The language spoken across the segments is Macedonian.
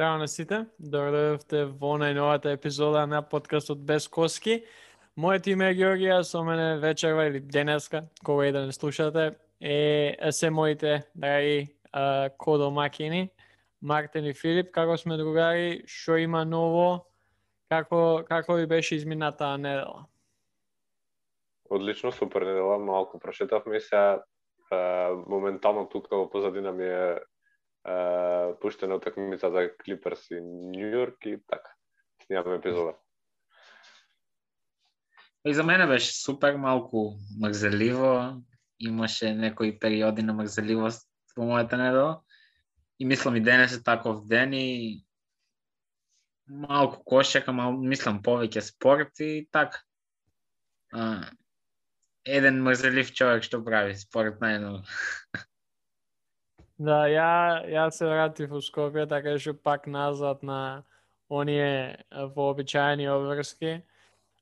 Здраво на сите, добро дојдовте во најновата епизода на подкастот Без Коски. Моето име е Георгија, со мене вечерва или денеска, кога и да не слушате, се моите драги кодомакини, Мартин и Филип. Како сме другари, што има ново, како ви беше изминатаа недела? Одлично, супер недела, малку прошетавме и сега моментално тука во позадина ми е пуштена утакмица за Клиперс и Нью Йорк и така. Снимаме епизода. И за мене беше супер, малку мрзеливо. Имаше некои периоди на мрзеливост во мојата недела. И мислам и денес е таков ден и малку кошака, мислам повеќе спорт и така. Еден мрзелив човек што прави спорт најново. Да, ја се вратив во Скопје, така што пак назад на оние вообичаени обврски.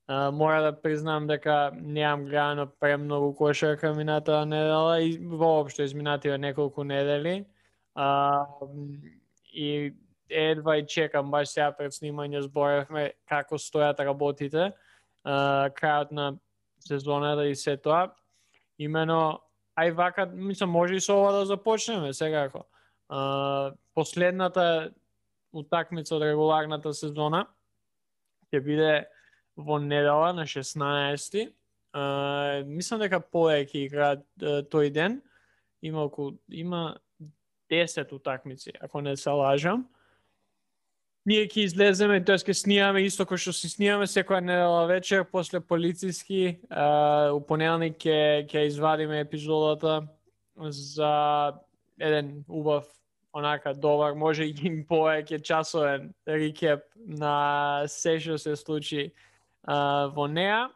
Мора да признам дека неам гледано премногу кошарка минатата недела и воопшто изминативе неколку недели. И едва и чекам, баш сега пред снимање зборевме како стојат работите, крајот на сезоната и се тоа. Имено, ај вака, мислам, може и со ова да започнеме секако. Последната утакмица од регуларната сезона ќе биде во недела на 16-ти. Мислам дека повеќе играат тој ден. Има 10 утакмици, ако не се лажам. Ние ќе излеземе, тоест ќе снимаме исто кој што се снимаме секоја недела вечер после полициски. У понеделник ќе извадиме епизодата за еден убав, онака добар, може и повеќе часовен рекеп на се што се случи во неа.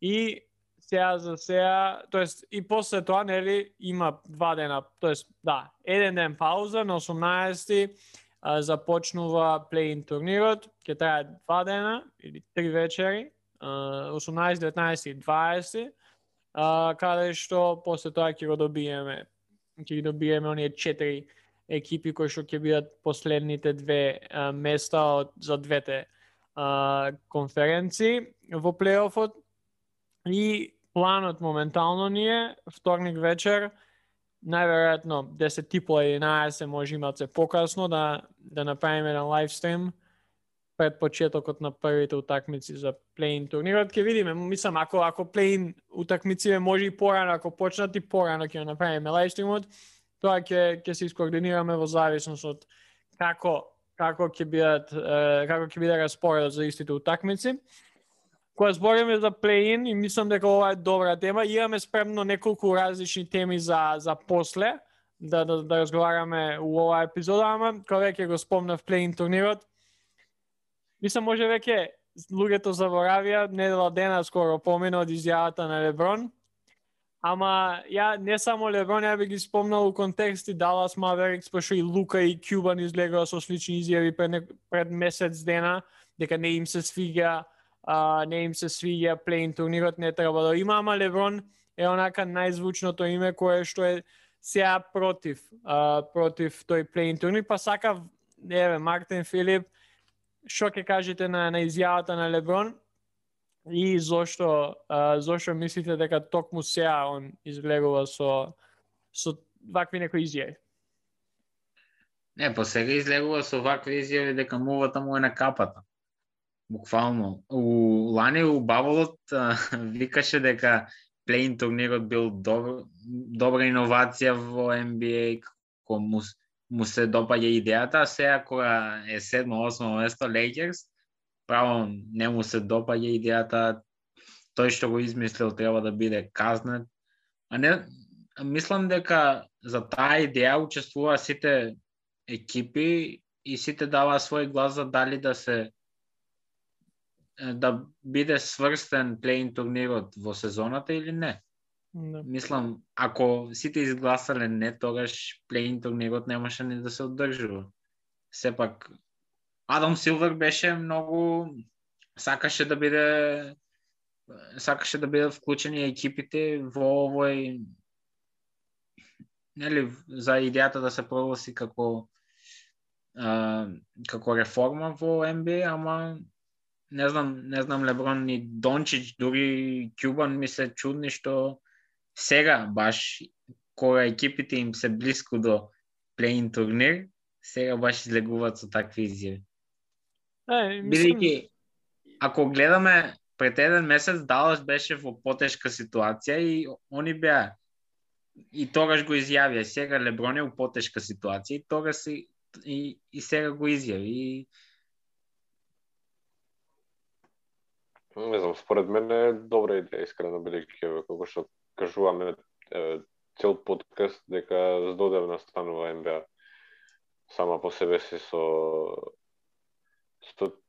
И сега, тоест и после тоа, нели, има 2 дена, тоест да, еден ден пауза на 18-ти. Започнува плей-ин турнирот, ќе трае 2 дена или 3 вечери, 18, 19 и 20, каде што после тоа ќе ги добиеме оние 4 екипи кои што ќе бидат последните 2 места за двете конференции во плей-офот. И планот моментално ни е вторник вечер, најверојатно 10:30-11 може имат се покасно да направиме на лайвстрим пред почетокот на првите утакмици за плей-ин турнирот. Ќе видиме, мислам, ако плей-ин утакмиците може и порано, ако почнат и порано ќе направиме лайвстримот, тоа ќе се искоординираме во зависност од како ќе биде распоредот за истите утакмици. Кога збориме за плей-ин, и мислам дека ова е добра тема, имаме спремно неколку различни теми за после, да разговараме у оваа епизода, ама кога веќе го спомнав плей-ин турнирот, мислам може веќе луѓето заборавија, недела дена скоро помина од изјавата на Леброн, ама ја не само Леброн, ја би ги спомнал у контексти Далас Маверикс, пошто и Лука и Кјубан излегува со слични изјави пред месец дена, дека не им се свиѓа плей-ин турнирот, не треба да има, ама Леброн е онака најзвучното име кое што е сега против тој плей-ин турнир, па сакав, Мартин, Филип, што ќе кажете на изјавата на Леброн и зошто мислите дека токму сега он излегува со вакви некои изјави? Не, по сега излегува со вакви изјави дека мувата му е на капата. Буквално. Лани у Баболот викаше дека плей-ин турнирот бил добра иновација во NBA, како му се допаѓа идејата, а сега кога е 7-8 место Лейкерс, право не му се допаѓа идејата, тој што го измислил треба да биде казнет. А не, мислам дека за таа идеја учествува сите екипи и сите дава свој глас за дали да биде сврстен плей-ин турнирот во сезоната или не. Да. Мислам, ако сите изгласале не, тогаш плей-ин турнирот немаше ни да се одржува. Сепак, Адам Силвер беше многу сакаше да бидат вклучени екипите во овој, нели, за идејата да се прогласи како како реформа во NBA, ама не знам Леброн и Дончич, дури Кјубан ми се чудни што сега баш кога екипите им се блиску до плей-ин турнир, сега баш излегуваат со такви изјави. Бидејќи, ако гледаме пред еден месец Далас беше во потешка ситуација и они беа и тогаш го изјавија. Сега Леброн е во потешка ситуација и тогаш и сега го изјави. Не знам, според мен е добра идеја, искрено бидејќи како што кажуваме цел подкаст дека здодевна станува НБА сама по себе си со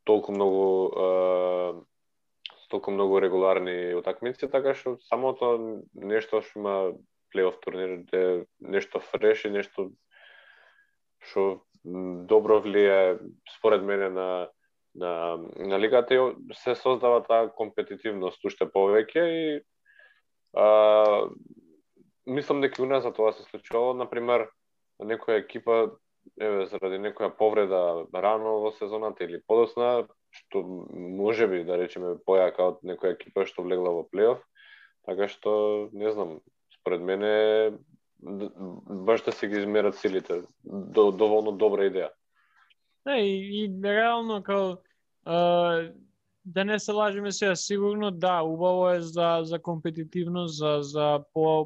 толку многу регуларни утакмици, така што самото нешто што има плей-оф турнир е нешто фреш и нешто што добро влијае според мене на лигата и се создава таа компетитивност уште повеќе и мислам дека у нас за тоа се случувало, например, некоја екипа заради некоја повреда рано во сезоната или подоцна, што можеби да речеме појака од некоја екипа што влегла во плей-оф, така што не знам, според мене баш да се ги измерат силите, доволно добра идеја. И реално као да не се лажеме сега, сигурно да, убаво е за компетитивност, за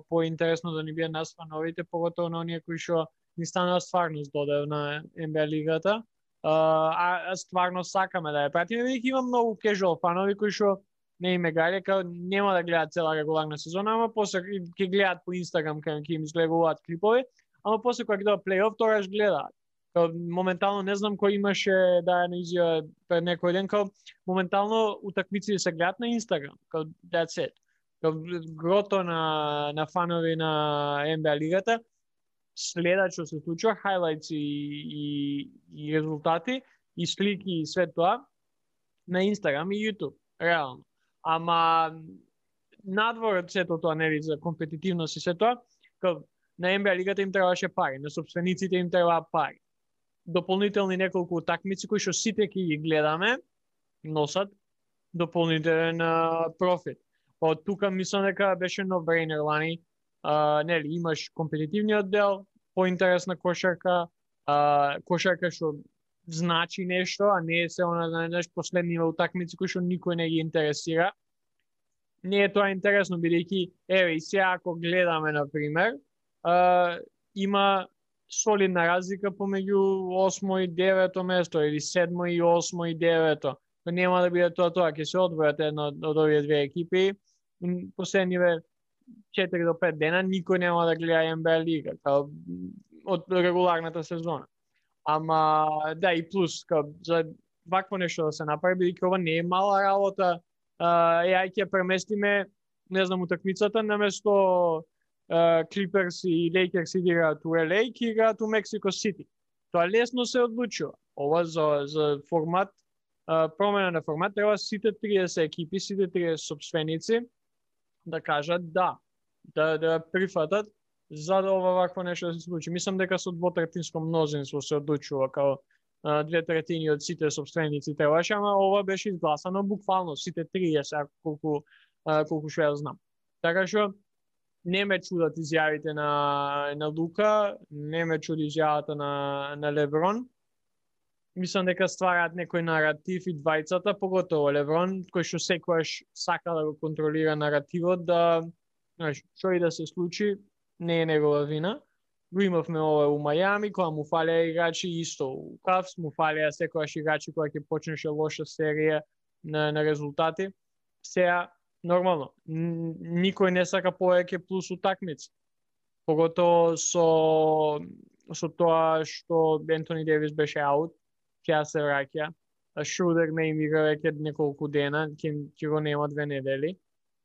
поинтересно да ни биде нас фановите, поготово на оние кои што ни станува стварно здодев на НБА лигата. А стварно сакаме да ја пратиме, бидејќи има многу кежуал фанови кои што не име гајле, као нема да гледаат цела регуларна сезона, ама после ќе гледаат по Инстаграм кај ќе им изгледуваат клипови, ама после кога ќе доа плей-оф тогаш гледаат. Моментално не знам кој имаше да ја изјава пред некој ден, као моментално утакмици се гледаат на Инстаграм, као that's it. Као грото на фанови на НБА лигата следат што се случува, хайлайтс и резултати и слики и све тоа на Инстаграм и Јутуб, реално. Ама надвор од сето тоа, нели, за компетитивност и се тоа, као на НБА лигата им требаше пари, на сопствениците им требаа пари. Дополнителни неколку утакмици кои што сите ќе ги гледаме носат дополнителен профит. Па од тука мислам дека беше no-brainer лани. Нели, имаш компетитивниот дел, поинтересна кошарка, кошарка што значи нешто, а не е се она, знаеш, последниве утакмици кои што никој не ги интересира. Не е тоа интересно, бидејќи, еве, и сега ако гледаме, например, има солидна разлика помеѓу 8 и 9 место или 7 и 8 и 9. Нема да биде тоа, ќе се одвојат една од овие две екипи. Последниве 4 до 5 дена никој нема да гледа НБА лига од регуларната сезона. Ама да, и плюс за вакво нешто да се направи, бидејќи ова не е мала работа. Ја ќе преместиме, не знам, утакмицата наместо Клиперс и Лейкерс играат у LA, ќе играат у Мексико Сити. Тоа лесно се одлучува. Ова за формат, промена на формат, треба сите 30 екипи, сите 30 сопственици да кажат да прифатат за да ова вакво нешто да се случи. Мислам дека со двотретинско мнозинство се одлучува, као 2/3 од сите сопственици требаше, ама ова беше изгласано буквално сите 30, колку што ја знам. Така што не ме чудат изјавите на Лука, не ме чуди изјавата на Леброн. Мислам дека ствараат некој наратив и двајцата, поготово Леброн, кој што секогаш сака да го контролира наративот, да, знаеш, што и да се случи, не е негова вина. Го имавме ова у Мајами, кога му фалеа играчи, исто у Кавс, му фалеа секогаш играчи кога ќе почнеше лоша серија на резултати. Сега, нормално, никој не сака повеќе плюс утакмици. Поготово со тоа што Ентони Девис беше аут, ќе се враќа. Шрудер не им игра веќе неколку дена, ќе го нема 2 недели.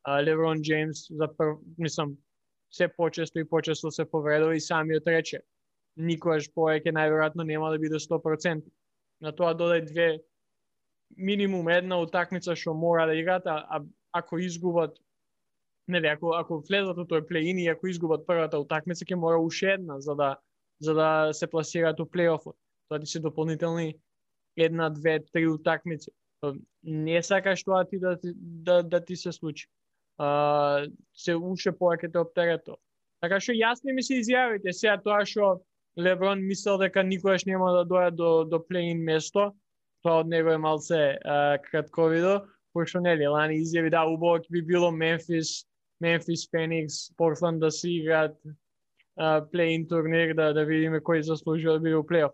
Леброн Джеймс, мислам, се почесто и почесто се повредува и самиот рече. Никогаш повеќе најверојатно нема да биде 100%. На тоа додај минимум една утакмица што мора да играат, а ако изгубат, нели, ако влезат во тој плей-ин и ако изгубат првата утакмица, ќе мора уште една за да се пласираат у плей-офот. Тоа ти се дополнителни 1, 2, 3 утакмици. Не сакаш тоа ти да ти се случи. Се уште повеќе те оптерето. Така што јасни ми се изјавите. Сега тоа што Леброн мислел дека никогаш нема да дојде до плей-ин место, тоа од него е малце кратковидо, пошто нели лани изјави да убаво би било Мемфис, Феникс, Портланд да си играат плей-ин турнир да видиме кој заслужува да биде у плей-оф.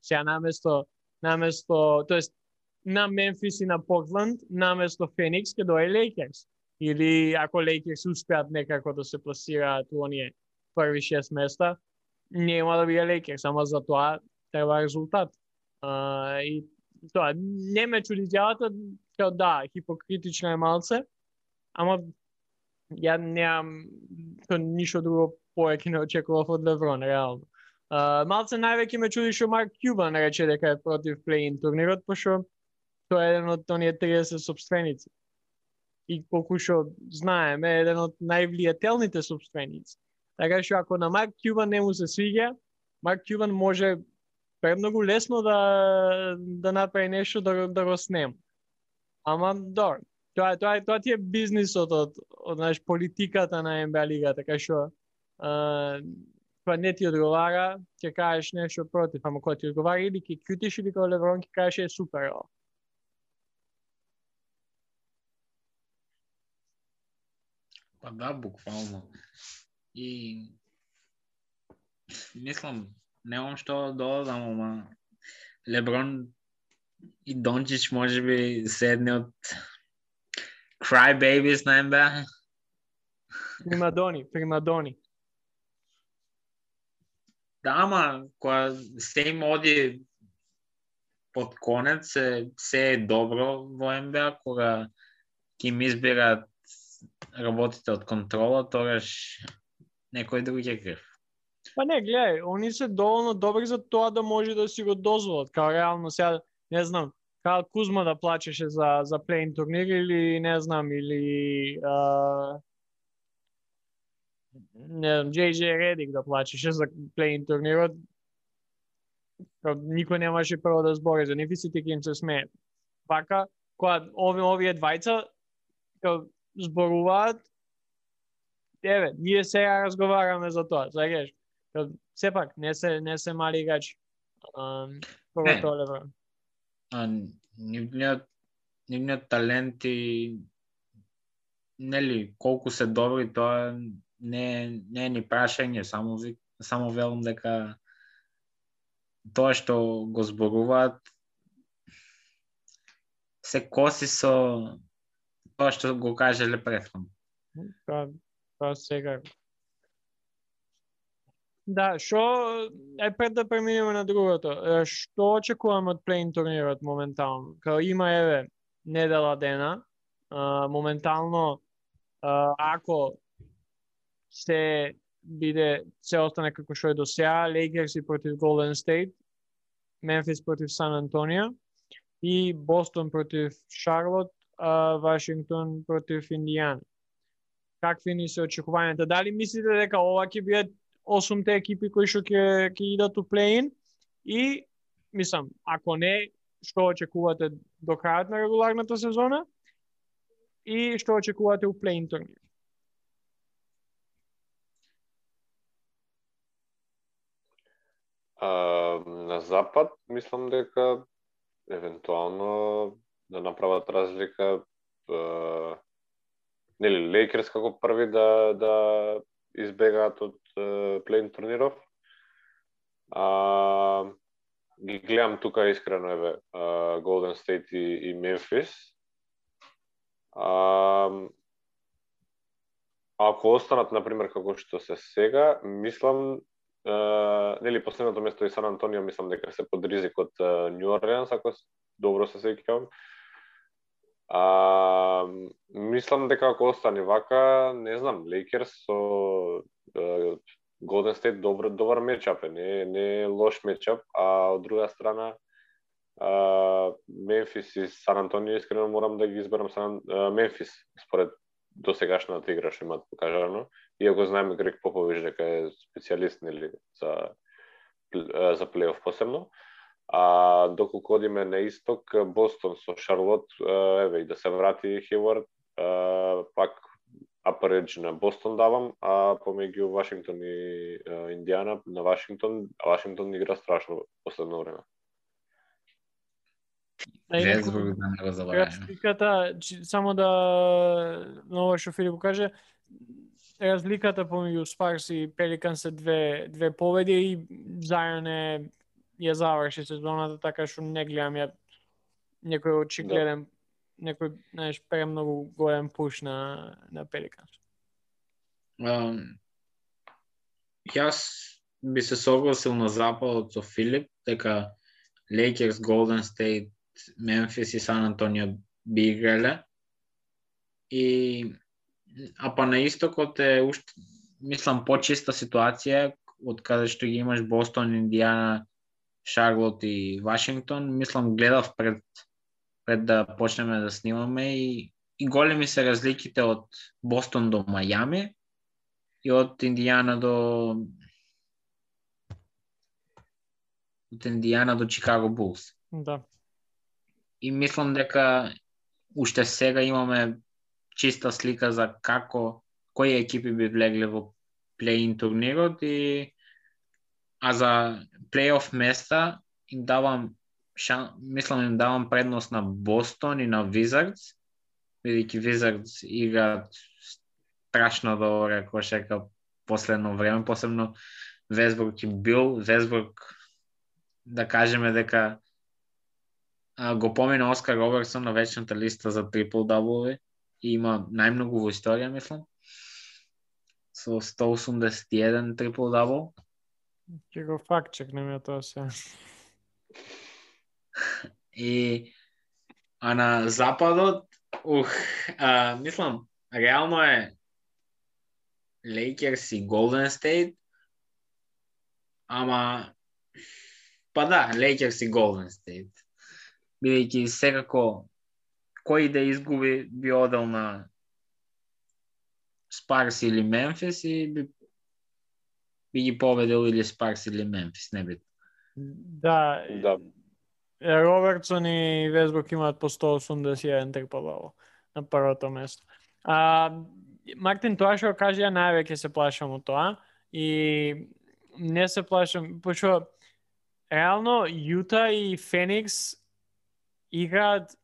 Сега наместо, тоест на Мемфис и на Портланд, наместо Феникс ќе дое Лейкерс. Или ако Лейкерс успеат некако да се пласираат у оние први 6 места, нема да биде Лейкерс, ама за тоа треба резултат. И тоа не ме чуди изјавата, као да, хипокритична е малце, ама ја немам ништо друго повеќе не очекував од Леброн, реално. Малце највеќе ме чуди што Марк Кјубан рече дека е против плей-ин турнирот, пошто тоа е еден од оние 30 сопственици. И колку што знаеме, е еден од највлијателните сопственици. Така што ако на Марк Кјубан не му се свиѓа, Марк Кјубан може премногу лесно да направи нешто да го снема. Ама добро. Тоа ти е бизнисот од политиката на НБА лига, така што кога не ти одговара, ќе кажеш нешто против, ама кога ти одговара или ќе кјутиш или кога Леброн ќе кажеш е супер. Па да, буквално. И мислам, немам што додадам, ама Леброн и Дончич може би се едни од cry babies на НБА. Примадони. Да, ама кога се им оди под конец, се е добро во НБА, кога ќе им изберат работите од контрола, тогаш некој друг е крив. Па не, гледај, они се доволно добри за тоа да може да си го дозволат. Као реално сега, не знам, као Кузма да плачеше за плей-ин турнир или не знам, или не знам, JJ Редик да плачеше за плей-ин турнирот. Никој немаше прво да збори за нив и сите ќе им се смеат. Вака, кога овие двајца зборуваат, ние сега разговараме за тоа, знаеш? Сепак не се мали играчи. Поготово Леброн. Нивниот талент и нели колку се добри, тоа не е ни прашање, само велам дека тоа што го зборуваат се коси со тоа што го кажеле претходно. Тоа сега. Да, пред да преминеме на другото, што очекуваме од плей-ин турнирот моментално? Као има недела дена, моментално ако се остане како што е до сега, Лейкерс против Голден Стейт, Мемфис против Сан Антонио и Бостон против Шарлот, Вашингтон против Индијана. Какви ни се очекувањата? Дали мислите дека ова ќе бидат 8 екипи кои што ќе идат у плей-ин? И, мислам, ако не, што очекувате до крајот на регуларната сезона? И што очекувате у плей-ин турнир? На запад, мислам дека евентуално да направат разлика нели Лейкерс како први да избегаат од плей-ин турниров. Ги гледам тука искрено Голден Стейт и Мемфис. Ако останат например како што се сега, мислам нели последното место и Сан Антонио мислам дека се под ризик од Нью Орлеанс, ако добро се сеќавам. Мислам дека ако остане вака, не знам, Лейкерс со Голден Стейт добар мечап е, не е лош мечап, а од друга страна Мемфис и Сан Антонио искрено морам да ги изберам Мемфис според досегашната игра што имаат покажано, иако знаеме Грег Попович дека е специјалист нели за плей-оф посебно. А доколку одиме на исток, Бостон со Шарлот, еве и да се врати Хейвард, пак upper edge на Бостон давам, а помеѓу Вашингтон и Индиана на Вашингтон игра страшно последно време. Весбург да не го забравяме. Разликата, само да на ова што Филип каже, разликата помеѓу Спарс и Пеликанс се две победи и Зајон ја заврши сезоната, така што не гледам ја некој очигледен, некој, знаеш, премногу голем пуш на Пеликанс. Јас би се согласил на западот со Филип, дека Lakers, Golden State, Memphis и Сан Антонио би играле. А па на истокот е уште, мислам, почиста ситуација, од каде што ги имаш Бостон, Индиана, Шарлот и Вашингтон. Мислам, гледав пред да почнеме да снимаме и големи се разликите од Бостон до Мајами и од Индиана до Чикаго Булс. Да. И мислам дека уште сега имаме чиста слика за кои екипи би влегле во плей-ин турнирот а за плей-оф места им давам предност на Бостон и на Wizards, бидејќи Wizards играат страшно добра кошарка последно време, посебно Весбург и Бил. Весбург, да кажеме дека го помина Оскар Робертсон на вечната листа за трипл-даблови и има најмногу во историја, мислам, со 181 трипл-дабл. Ќе го факт-чекнеме тоа се. А на западот, мислам, реално е Lakers и Golden State, ама па да, Lakers и Golden State. Бидејќи секако кој да изгуби би одел на Спарс или Мемфис и би ги победил или Спарс или Мемфис, не би. Да. Робертсон и Весбург имаат по 181 трипл-дабл на првото место. Мартин, тоа што кажа, ја највеќе се плашам од тоа и не се плашам, пошто реално Јута и Феникс играат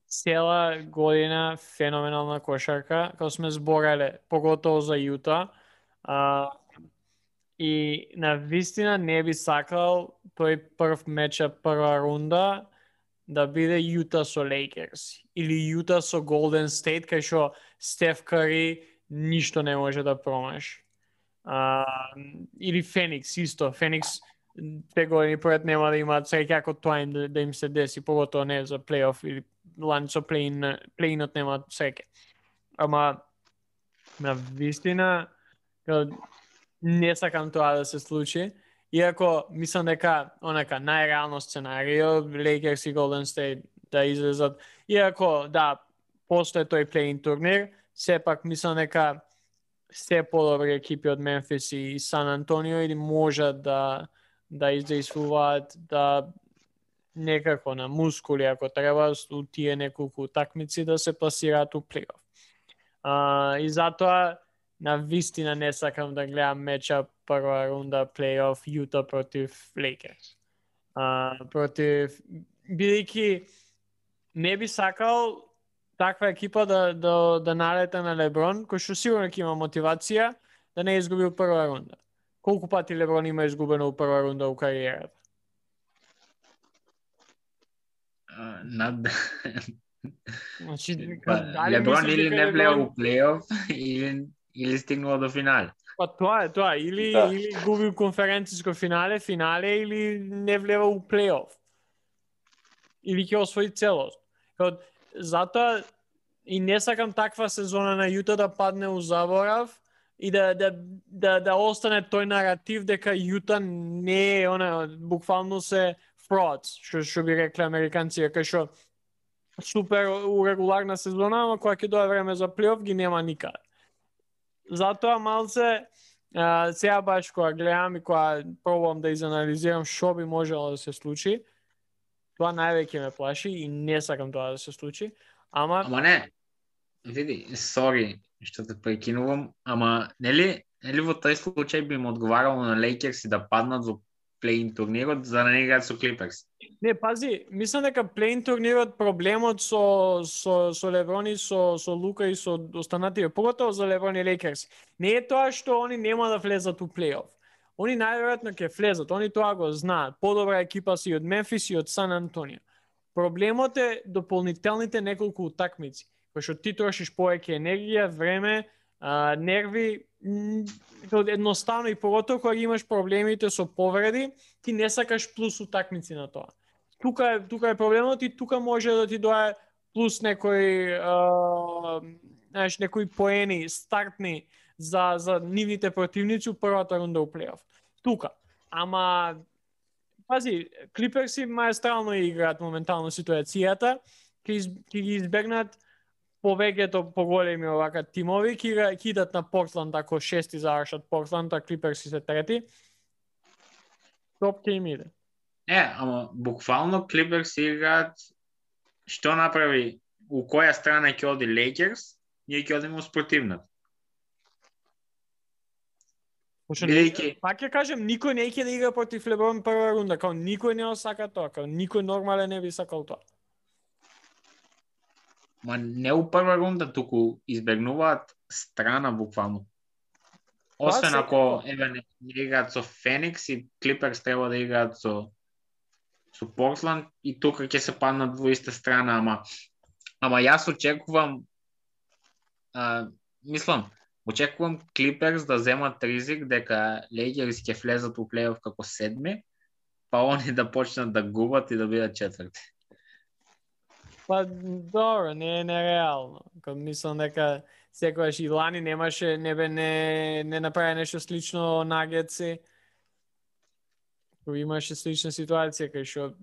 цела година феноменална кошарка, како сме збореле, поготово за Јута. И на вистина не би сакал тој прв мечап, прва рунда да биде Јута со Lakers или Јута со Golden State, кај што Стеф Кари ништо не може да промаши. Или Феникс исто. Феникс 2 години пред нема да имаат среќа како тоа им да им се деси, поготово не за плейоф или лани со плейнот немаат среќа. Ама на вистина не сакам тоа да се случи. Иако мислам дека онака најреално сценарио Lakers и Golden State да излезат. Иако да постои тој плей-ин турнир, сепак мислам дека се подобри екипи од Мемфис и Сан Антонио или можат да издействуваат да некако на мускули ако треба у тие неколку такмици да се пласираат у плей-оф. И затоа на вистина не сакам да гледам мечап прва рунда плей-оф Јута против Lakers. Бидејќи не би сакал таква екипа да налета на Леброн, кој што сигурно ќе има мотивација да не изгуби у прва рунда. Колку пати Леброн има изгубено у прва рунда у кариерата? Значи, Леброн или не влеа у плей-оф или стигнува до финале. Па тоа е тоа, или губи конференциско финале или не влева у плей-оф. Или ќе освои целост. Затоа и не сакам таква сезона на Јута да падне у заборав и да остане тој наратив дека Јута не е буквално се frauds, што би рекли американци, кај што супер у регуларна сезона, ама кога ќе дое време за плей-оф ги нема никаде. Затоа малце сега баш кога гледам и кога пробувам да изанализирам што би можело да се случи, Тоа највеќе ме плаши и не сакам тоа да се случи. Ама не, види, сори што те прекинувам, ама нели во тој случај би му одговарало на Лейкерс да паднат во плей-ин турнирот за да не играат со Клиперс? Не, пази, мислам дека плей-ин турнирот проблемот со Леброн и со Лука и со останатите, поготово за Леброн и Лейкерс, не е тоа што они нема да влезат у плей-оф. Они најверојатно ќе влезат, они тоа го знаат. Подобра екипа си од Мемфис и од Сан Антонио. Проблемот е дополнителните неколку утакмици, кои што ти трошиш повеќе енергија, време, нерви, едноставно и поготово кога имаш проблемите со повреди, ти не сакаш плюс утакмици на тоа. Тука е проблемот и тука може да ти дое плюс некои некои поени стартни за нивните противници у првата рунда у плей-оф. Тука. Ама пази, Клиперси маестрално играат моментално ситуацијата, ќе ги избегнат повеќето поголеми овака тимови, ќе идат на Портланд ако шести завршат Портланд, а Клиперси се трети. Топ ќе им иде. Ама буквално Клиперси играат што направи, у која страна ќе оди Лейкерс, ние ќе одиме спротивната. Пак ќе кажем, никој не ќе да игра против Леброн прва рунда, као никој не осака тоа, као никој нормален не би сакал тоа. Ма не у прва рунда, туку избегнуваат страна буквално. Освен ако не играат со Феникс и Клиперс треба да играат со Портланд и тука ќе се паднат во иста страна, ама јас очекувам очекувам Клиперс да земат ризик дека Лейкерс ќе влезат у плей-оф како седми, па они да почнат да губат и да бидат четврти. Па добро, не е нереално. Мислам дека секогаш и лани не направи нешто слично Нагетси. Имаше слична ситуација кај што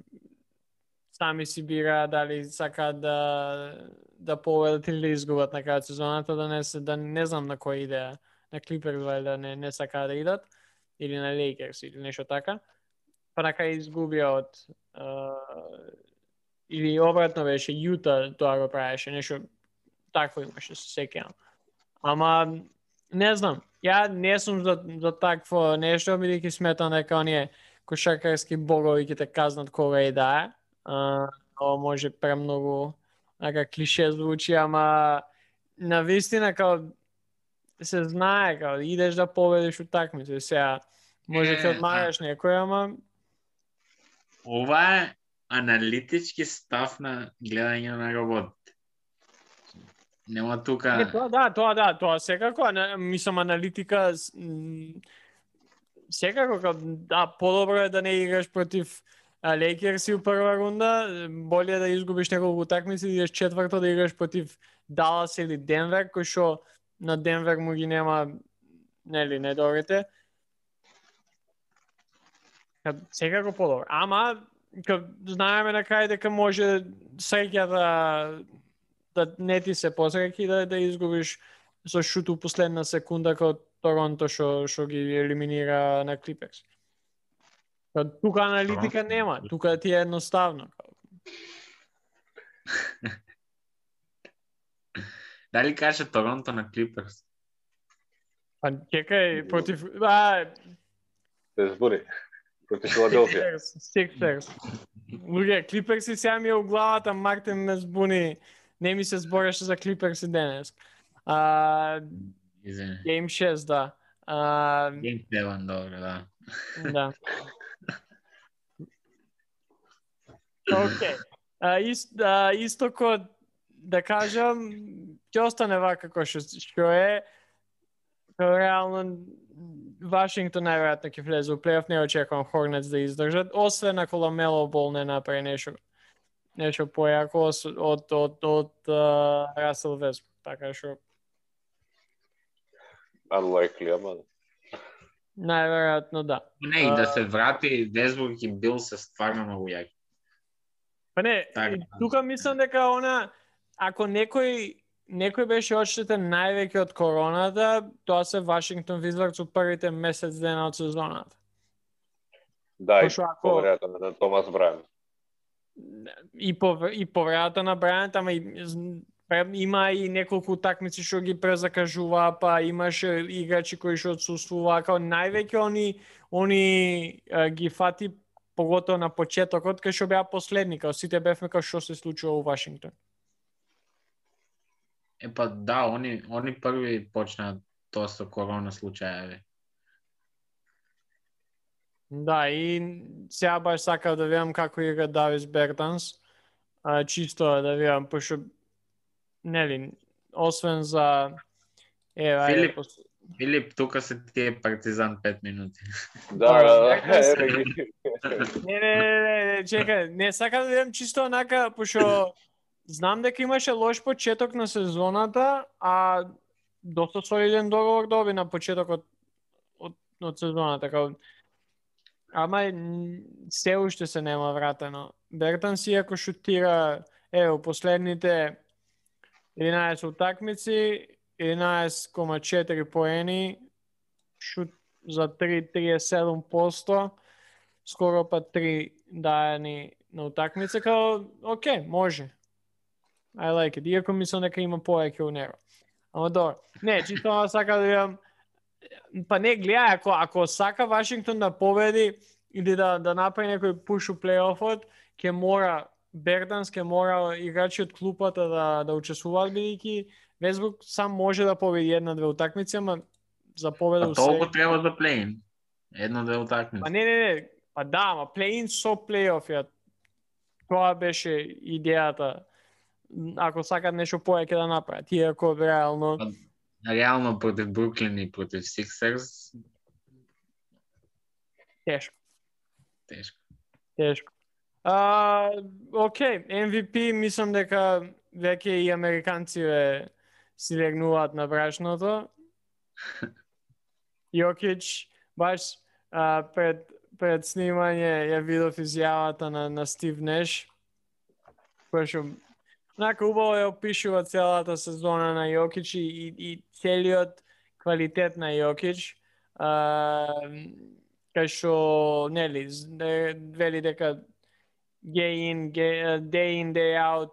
сами си бира дали сакаат да победат или да изгубат на крајот сезоната, да не знам на која идеја, на Клиперс да не сакаат да идат, или на Лейкерс или нешто така. Па на крај изгубија од или обратно беше Јута тоа го правеше, нешто такво имаше, се сеќавам. Ама не знам, ја не сум за такво нешто, бидејќи сметам дека оние кошаркарски богови ќе те казнат кога и да е. Ова може премногу клише звучи, ама на вистина као се знае као идеш да победиш утакмица. Сега може ќе одмараш некој, ама ова е аналитички став на гледање на работите. Нема тука. Тоа секако, мислам аналитика секако подобро е да не играш против Лейкерси у прва рунда, боле да изгубиш неколку утакмици, да идеш четврто да играш против Далас или Денвер, кој што на Денвер му ги нема недобрите. Секако подобро. Ама знаеме на крај дека може среќа да не ти се посреќи да изгубиш со шут у последна секунда као Торонто што ги елиминира на Клиперс. Тука аналитика нема, тука ти е едноставно. Дали каже Торонто на Клиперс? Па чекај, против... Се збори. Против Филаделфија. Сиксерс. Луѓе, Клиперси сега ми е у главата, Мартин ме збуни. Не ми се збореше за Клиперси денес. Game 6, да. Game 7, добро, да. Да. Океј. Исто да кажам, ќе остане вака како што е. Реално Вашингтон најверојатно ќе влезе у плей-оф, не очекувам Хорнетс да издржат, освен ако Ламело Бол не направи нешто појако од Расел Весбрук, така што unlikely, ама најверојатно да. Не, и да се врати Весбрук и Бил се стварно многу јаки. Па не, тука мислам дека ако некој беше одштетен највеќе од короната, тоа се Вашингтон Визардс у првите месец дена од сезоната. Да, и поверојатно на Томас Брајан. и повредата на Брајант, ама има и неколку такмици што ги презакажува, па имаше играчи кои што отсуствува, као највеќе они ги фати поготово на почетокот, кај што беа последни, као сите бевме као што се случува у Вашингтон. Па да, они први почнаа тоа со корона случаеви. Да, и сега баш сакав да видам како игра Давис Бертанс, чисто да видам, пошто нели, освен за Филип, тука се тие Партизан 5 минути. Да. Не, чекај, не сакам да видам чисто онака, пошто знам дека имаше лош почеток на сезоната, а доста солиден договор доби на почетокот од сезоната, така. Ама се уште се нема вратено. Бертанс иако шутира, у последните 11 утакмици, 11,4 поени, шут за 37%, скоро па 3 дајани на утакмица, као, окей, може. I like it. Иако мислам дека има повеќе у него. Ама добро. Не, чисто сака да видам. Па не, гледај, ако сака Вашингтон да победи или да направи некој пуш у плейофот, ќе мора Бертанс, ќе мора играчи од клупата да учествуваат, бидејќи Весбрук сам може да победи една-две утакмици, ама за победа у толку треба да плейн. Една-две утакмици. Па не. Па да, ама плейн со плейоф, тоа беше идејата. Ако сакат нешто повеќе да направат, иако реално... Реално против Бруклин и против Сиксерс? Тешко. Окей, MVP, мислам дека веќе и американци си легнуваат на брашното. Јокич, баш пред снимање ја видов изјавата на Стив Неш, кој што онака убаво ја опишува целата сезона на Јокич и целиот квалитет на Јокич. Кај што, нели, вели дека day in, day out,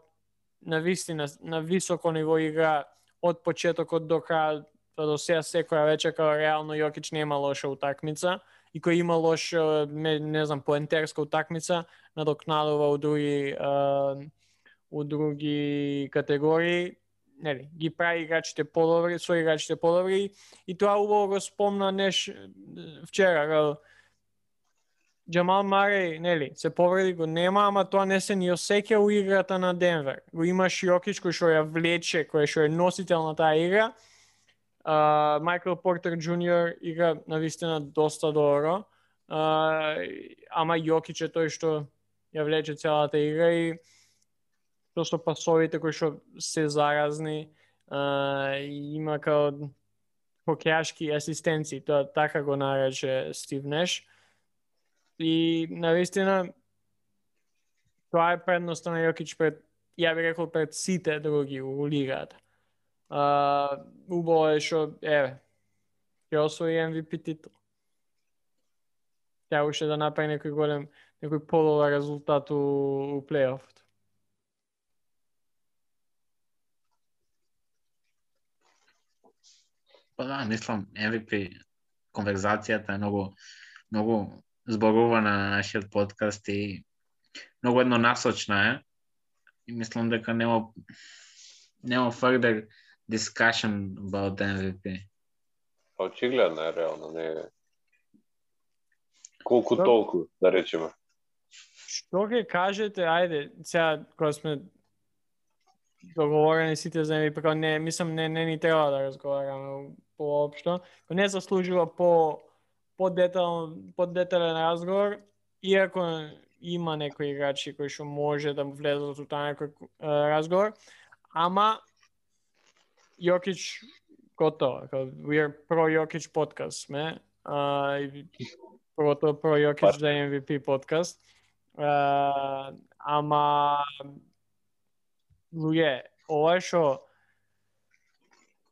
на вистина, на високо ниво игра од почетокот до крај, до сега секоја вечер, као реално Јокич нема лоша утакмица, и кој има лоша, не знам, поентерска утакмица, надокнадува у други категории, нели, ги прави играчите подобри, со играчите подобри, и тоа убаво го спомна Неш вчера, Джамал Мареј, нели, се повреди, го нема, ама тоа не се ни осеќа у играта на Денвер. Го имаш Јокич кој што ја влече, кој што е носител на таа игра. Майкл Портер Джуниор игра навистина доста добро. Ама Јокич е тој што ја влече целата игра и тоа што пасовите кои што се заразни, има као хокејашки асистенци, тоа така го нарече Стив Неш. И навистина тоа е предноста на Јокич пред, ја би рекол, пред сите други у лигата. Убаво е што, ќе освои MVP титул. Тя уште да направи некој подобар резултат у плейофот. Па да, мислам, MVP конверзацијата е многу зборува на нашиот подкаст и многу еднонасочна е. И мислам дека нема further discussion about MVP. Очигледно е реално, не е колку толку, да речеме. Што ќе кажете, ајде, сега кога сме договорени сите за MVP, не, мислам, не ни треба да разговараме поопшто, не заслужува по-детален разговор, иако има некои играчи кои што може да влезат у таа некој разговор, ама Јокич готово, we are pro Јокич подкаст сме, про Јокич за MVP подкаст, ама луѓе, ова што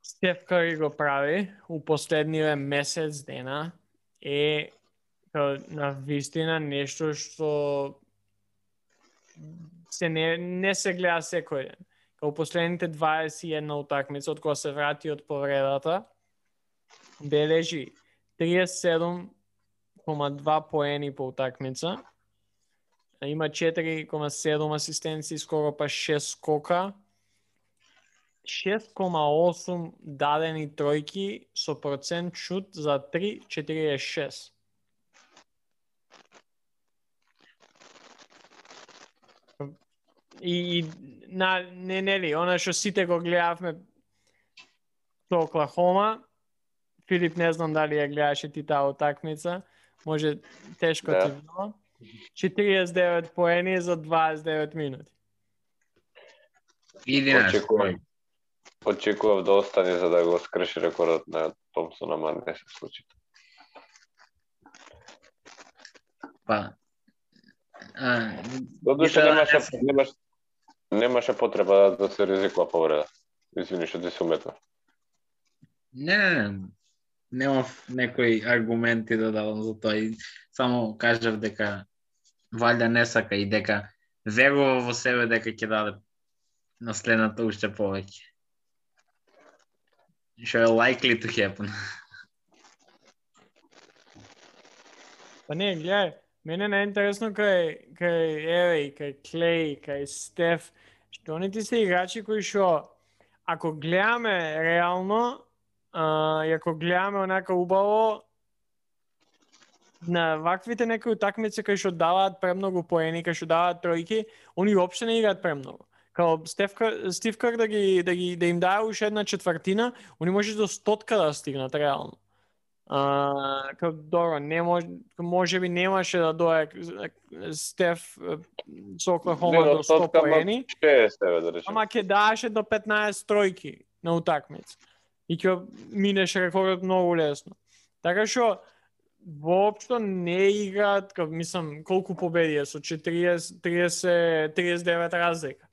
Стеф Кари го прави у последниве месец дена е на вистина нешто што не се гледа секој ден. Као последните 21 утакмица од кога се врати од повредата, бележи 37,2 поени по утакмица. Има 4,7 асистенции, скоро па 6 скока. 6,8 дадени тројки со процент шут за 3,46. И нели, она што сите го гледавме со Оклахома, Филип, не знам дали ја гледаше ти таа утакмица, може тешко ти било. 49 поени за 29 минути. 11 Очекував да остане за да го скрши рекордот на Томсон, ама не се случи. Немаше потреба да се ризикува повреда. Извини што ти се уметна. Не. Немав некои аргументи да дадам за тоа и само кажав дека валја не сака и дека верува во себе дека ќе даде на следната уште повеќе. Што е likely to happen. Па не, гледај, мене е најинтересно кај Еви, кај Клей, кај Стеф, што они ти се играчи кои што, ако гледаме реално, и ако гледаме онака убаво, на ваквите некои утакмици кои што даваат премногу поени, кои што даваат тројки, они уопште не играат премногу. Као Стив Кер да им дае уште една четвртина, они може до 100 да стигнат реално. Као добро, не можеби немаше да дое Стеф со Оклахома до 100 поени, ама ќе даеше до 15 тројки на утакмица. И ќе минеше рекордот многу лесно. Така што воопшто не играат, мислам, колку победи со 39 разлика.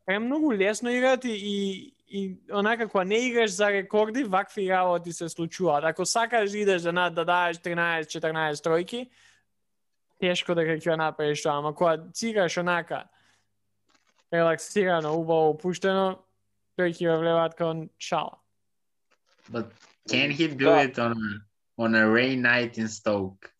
Премногу лесно играат и онака кога не играш за рекорди, вакви работи се случуваат. Ако сакаш да идеш да даеш 13-14 тројки, тешко дека ќе направиш тоа, ама кога цигаш онака релаксирано, убаво опуштено, тој ќе влеваат као шала. But can he do it on a rain night in Stoke?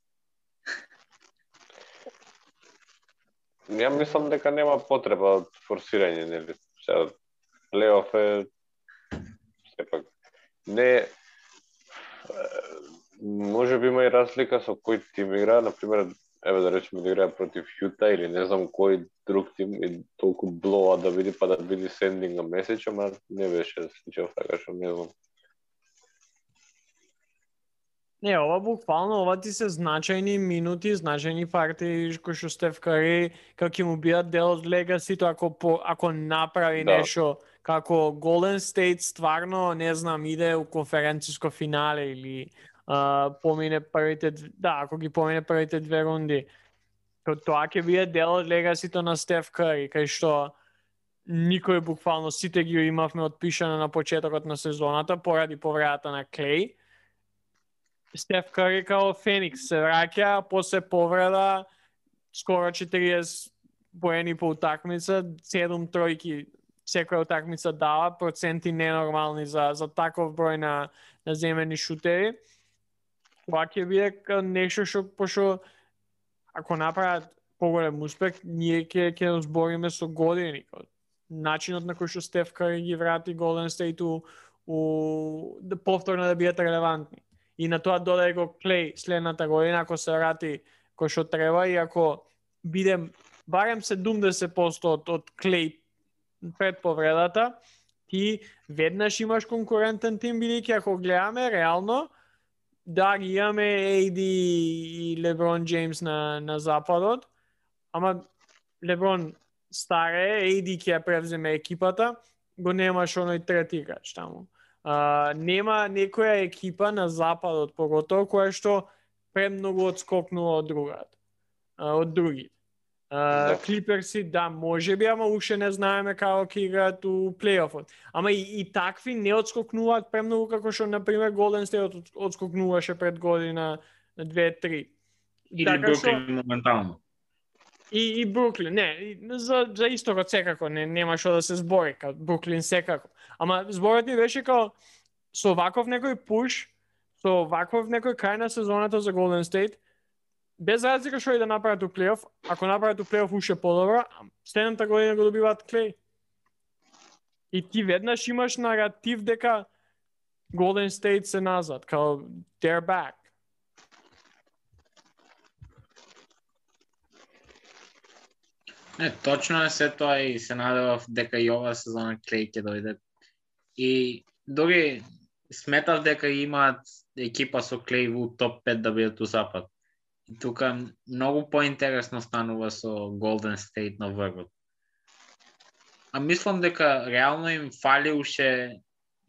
Ја мислам дека нема потреба од форсирање, нели? Сега плейоф е сепак не може би има и разлика со кој тим игра, на пример, еве да речеме да играе против Јута или не знам кој друг тим и толку блоа да биде па да биде sending a message, ама не беше случај така што не знам. Не, ова буквално, ова ти се значајни минути, значајни партии кои што Стеф Кари, како ќе му бидат дел од легасито ако направи нешто, како Golden State стварно, не знам, иде у конференциско финале или помине првите, ако ги помине првите две рунди, тоа ќе биде дел од легасито на Стеф Кари, кај што никој буквално сите ги имавме отпишано на почетокот на сезоната поради повредата на Клей. Стеф Кари као Феникс се враќа, после повреда, скоро 40 поени по утакмица, 7 тројки секоја утакмица дава, проценти ненормални за таков број на земени шутери. Тоа ќе биде нешто што, пошто ако направат поголем успех, ние ќе збориме со години. Начинот на кој што Стеф Кари ги врати Golden State повторно да бидат релевантни. И на тоа додај го Клей следната година, ако се врати кој што треба и ако биде барем 70% од Клей пред повредата, ти веднаш имаш конкурентен тим, бидејќи ако гледаме реално, да ги имаме AD и Леброн Джеймс на западот, ама Леброн старе, AD ќе ја превземе екипата, го немаш оној трети играч таму. Нема некоја екипа на западот поготово која што премногу одскокнува од други. Клиперси, можеби, ама уште не знаеме како ќе играат у плейофот. Ама и такви не одскокнуваат премногу како што, например, Golden State одскокнуваше пред година 2-3. Или Бруклин моментално. И Бруклин, не, за истокот секако нема што да се збори, као Бруклин секако. Ама зборот ми беше као со ваков некој пуш, со ваков некој крај на сезоната за Golden State, без разлика што и да направат у плейоф, ако направат у плейоф уште подобро, следната година го добиваат Клей. И ти веднаш имаш наратив дека Golden State се назад, као they're back. Не, точно е се тоа и се надевав дека и ова сезона Клей ќе дојде. И дори сметав дека имаат екипа со Клей во топ 5 да бидат у запад. И тука многу поинтересно станува со Golden State на врвот. А мислам дека реално им фали уште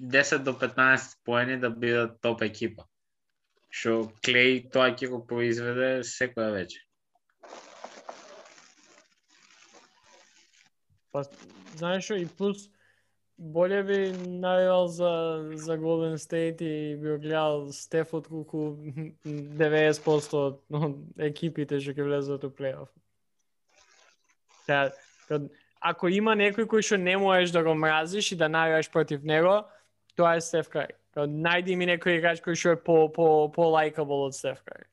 10 до 15 поени да бидат топ екипа. Што Клей тоа ќе го произведе секоја вечер. Па, знаеш што, и плюс боле би навивал за Golden State и би гледал Стеф од колку 90% од екипите што ќе влезат у плейоф. Ако има некој кој што не можеш да го мразиш и да навиваш против него, тоа е Стеф Кари. Најди ми некој играч кој што е по лајкабл од Стеф Кари.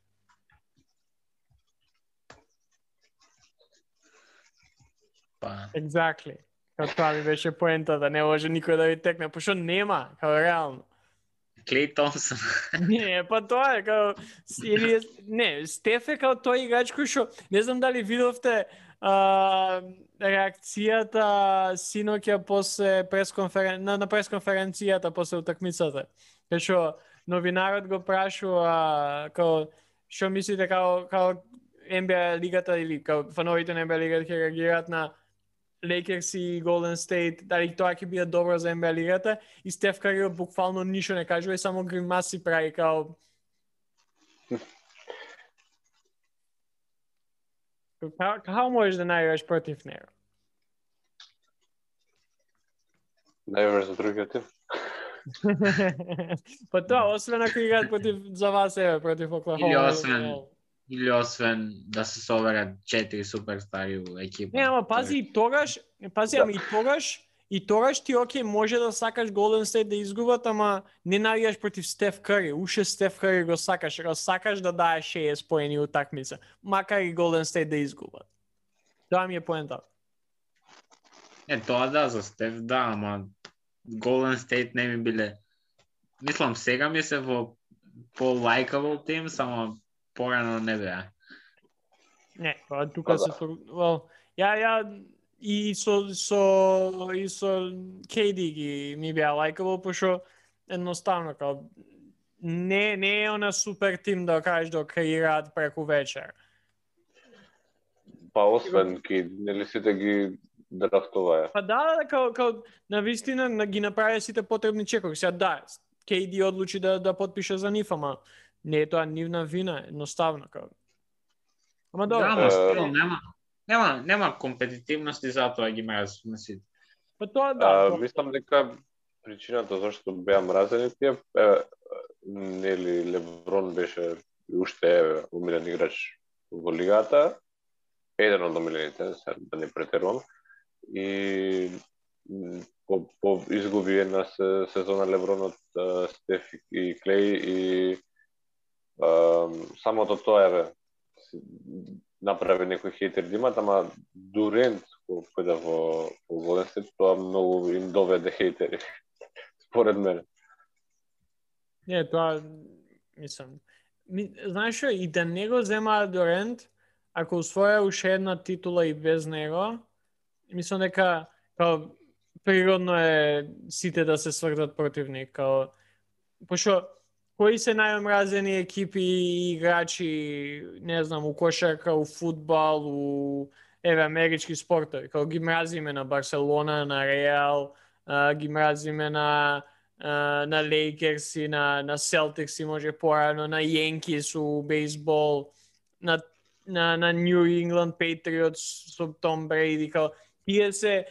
Exactly. Као тоа ми беше поента, да не може никој да ви текне, пошто нема, као реално. Клей Томсон. Не, па тоа е као или не, Стеф е као тој играч кој што не знам дали видовте реакцијата синоќа после на пресконференцијата после утакмицата. Кај што новинарот го прашува као што мислите као NBA лигата или као фановите на NBA лигата ќе реагираат на Lakers и Golden State, дали тоа ќе биде добро за NBA лигата, и Стеф Кари буквално ништо не кажува и само гримаси прави као како можеш да најдеш против него? Најверојатно за другиот тим. Па тоа, освен ако играат против за вас против Оклахома. Или освен да се соберат 4 суперстари у екипа. Не, ама пази и тогаш, ама и тогаш ти окей може да сакаш Golden State да изгубат, ама не навијаш против Стеф Кари. Уште Стеф Кари го сакаш да дае 60 поени утакмица, макар и Golden State да изгубат. Тоа ми е поента. Тоа да, за Стеф да, ама Golden State не ми биле. Мислам, сега ми се во по-лајкабл тим, само порано не беа. Не, тука се ја и со KD ги ми беа лајкабл, пошто едноставно као не е она супер тим да кажеш да креираат преку вечер. Па освен KD, нели сите ги драфтуваа. Па да, као навистина ги направи сите потребни чекови. Сега да, KD одлучи да подпише за нив, ама не е тоа нивна вина, едноставно као. Ама добро. Да, нема компетитивност и затоа ги мразиш на сите. Па тоа да. Мислам дека причината зашто беа мразени тие нели Леброн беше уште умилен играч во лигата, еден од омилените, да не претерувам, и по изгуби една сезона Леброн од Стеф и Клей и самото тоа направи некој хейтер да имат, ама Дурент кој да во Golden State, тоа многу им доведе хейтери, според мене. Не, тоа, мислам, знаеш што, и да не го земаат Дурент, ако усвоја уште една титула и без него, мислам дека природно е сите да се свртат против них, пошто кои се најомразени екипи и играчи, не знам, у кошарка, у фудбал, у амерички спортови, ги мразиме на Барселона, на Реал, ги мразиме на Лейкерс и на Селтикс и може порано, на Јенкис у бейсбол, на Нью Ингланд Патриотс со Том Брейди, тие се,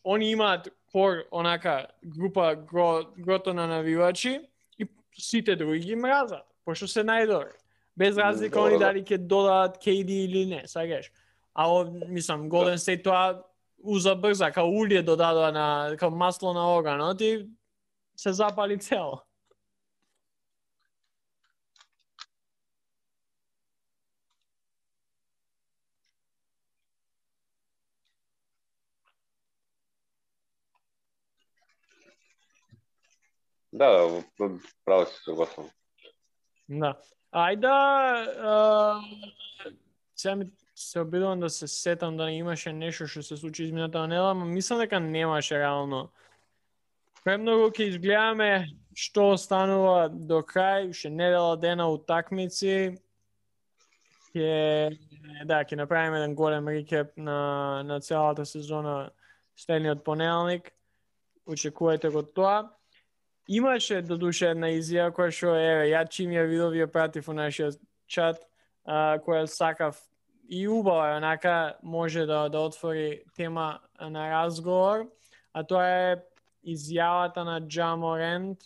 они имаат онака група грото на навивачи и сите други ги мразат, пошто се најдобри. Без разлика они дали ќе додадат KD или не, сакаш. Мислам, Golden State тоа уза брза, као улие додадоа као масло на оганот и се запали цело. Да, право си согласен. Да. Сега ми се обидувам да се сетам да имаше нешто што се случи измината недела, но мислам дека немаше реално. Премногу ќе изгледаме што останува до крај, уште недела дена утакмици. Ќе направиме еден голем рекеп на целата сезона следниот понеделник. Очекувајте го тоа. Имаше додуше една изјава која што ја чим ја видов ја пратив у нашиот чат, која сакав и убава онака може да отвори тема на разговор, а тоа е изјавата на Ja Morant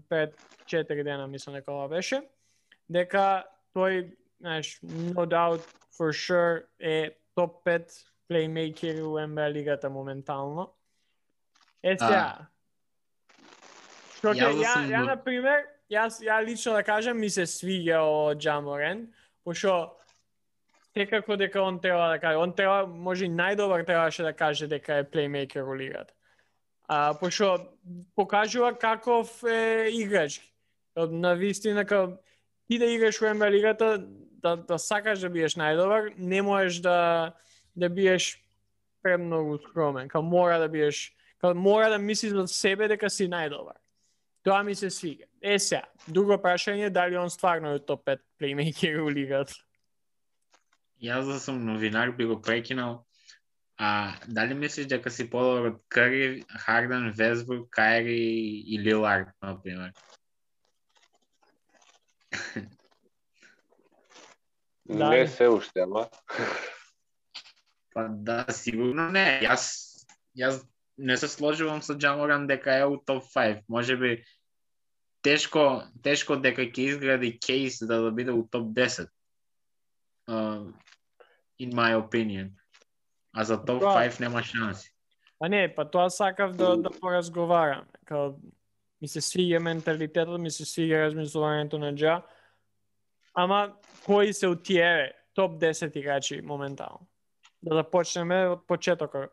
пред 4 дена, мислам дека ова беше, дека тој, no doubt for sure е топ 5 плеймейкер у NBA лигата моментално. Сега, ја на пример, ја лично да кажам, ми се свиѓа о Ja Morant, пошто секако дека он треба да каже, може и најдобар требаше да каже дека е плеймейкер у лигата. Пошто покажува каков е играч. На вистина, ти да играш во NBA лигата, да сакаш да биеш најдобар, не можеш да биеш премногу скромен. Мора да биеш, мора да мислиш за себе дека си најдобар. Тоа ми се свига. Сега, друго прашање, дали он стварно е топ 5 плеймейкер у лигата? Јас да сум новинар би го прекинал. Дали мислиш дека си подобар од Кари, Харден, Весбрук, Кайри и Лилард, например? Не се уште, ама. Па да, сигурно не. Јас не се сложувам со Ja Morant дека е у топ 5. Може би тешко дека ќе изгради кейс да биде у топ 10. In my opinion. А за топ 5 нема шанси. Не, тоа сакав да поразговарам. Ми се свиѓа менталитетот, ми се свиѓа размислувањето на Ja. Ама кои се у тие топ 10 играчи моментално? Да започнеме од почетокот.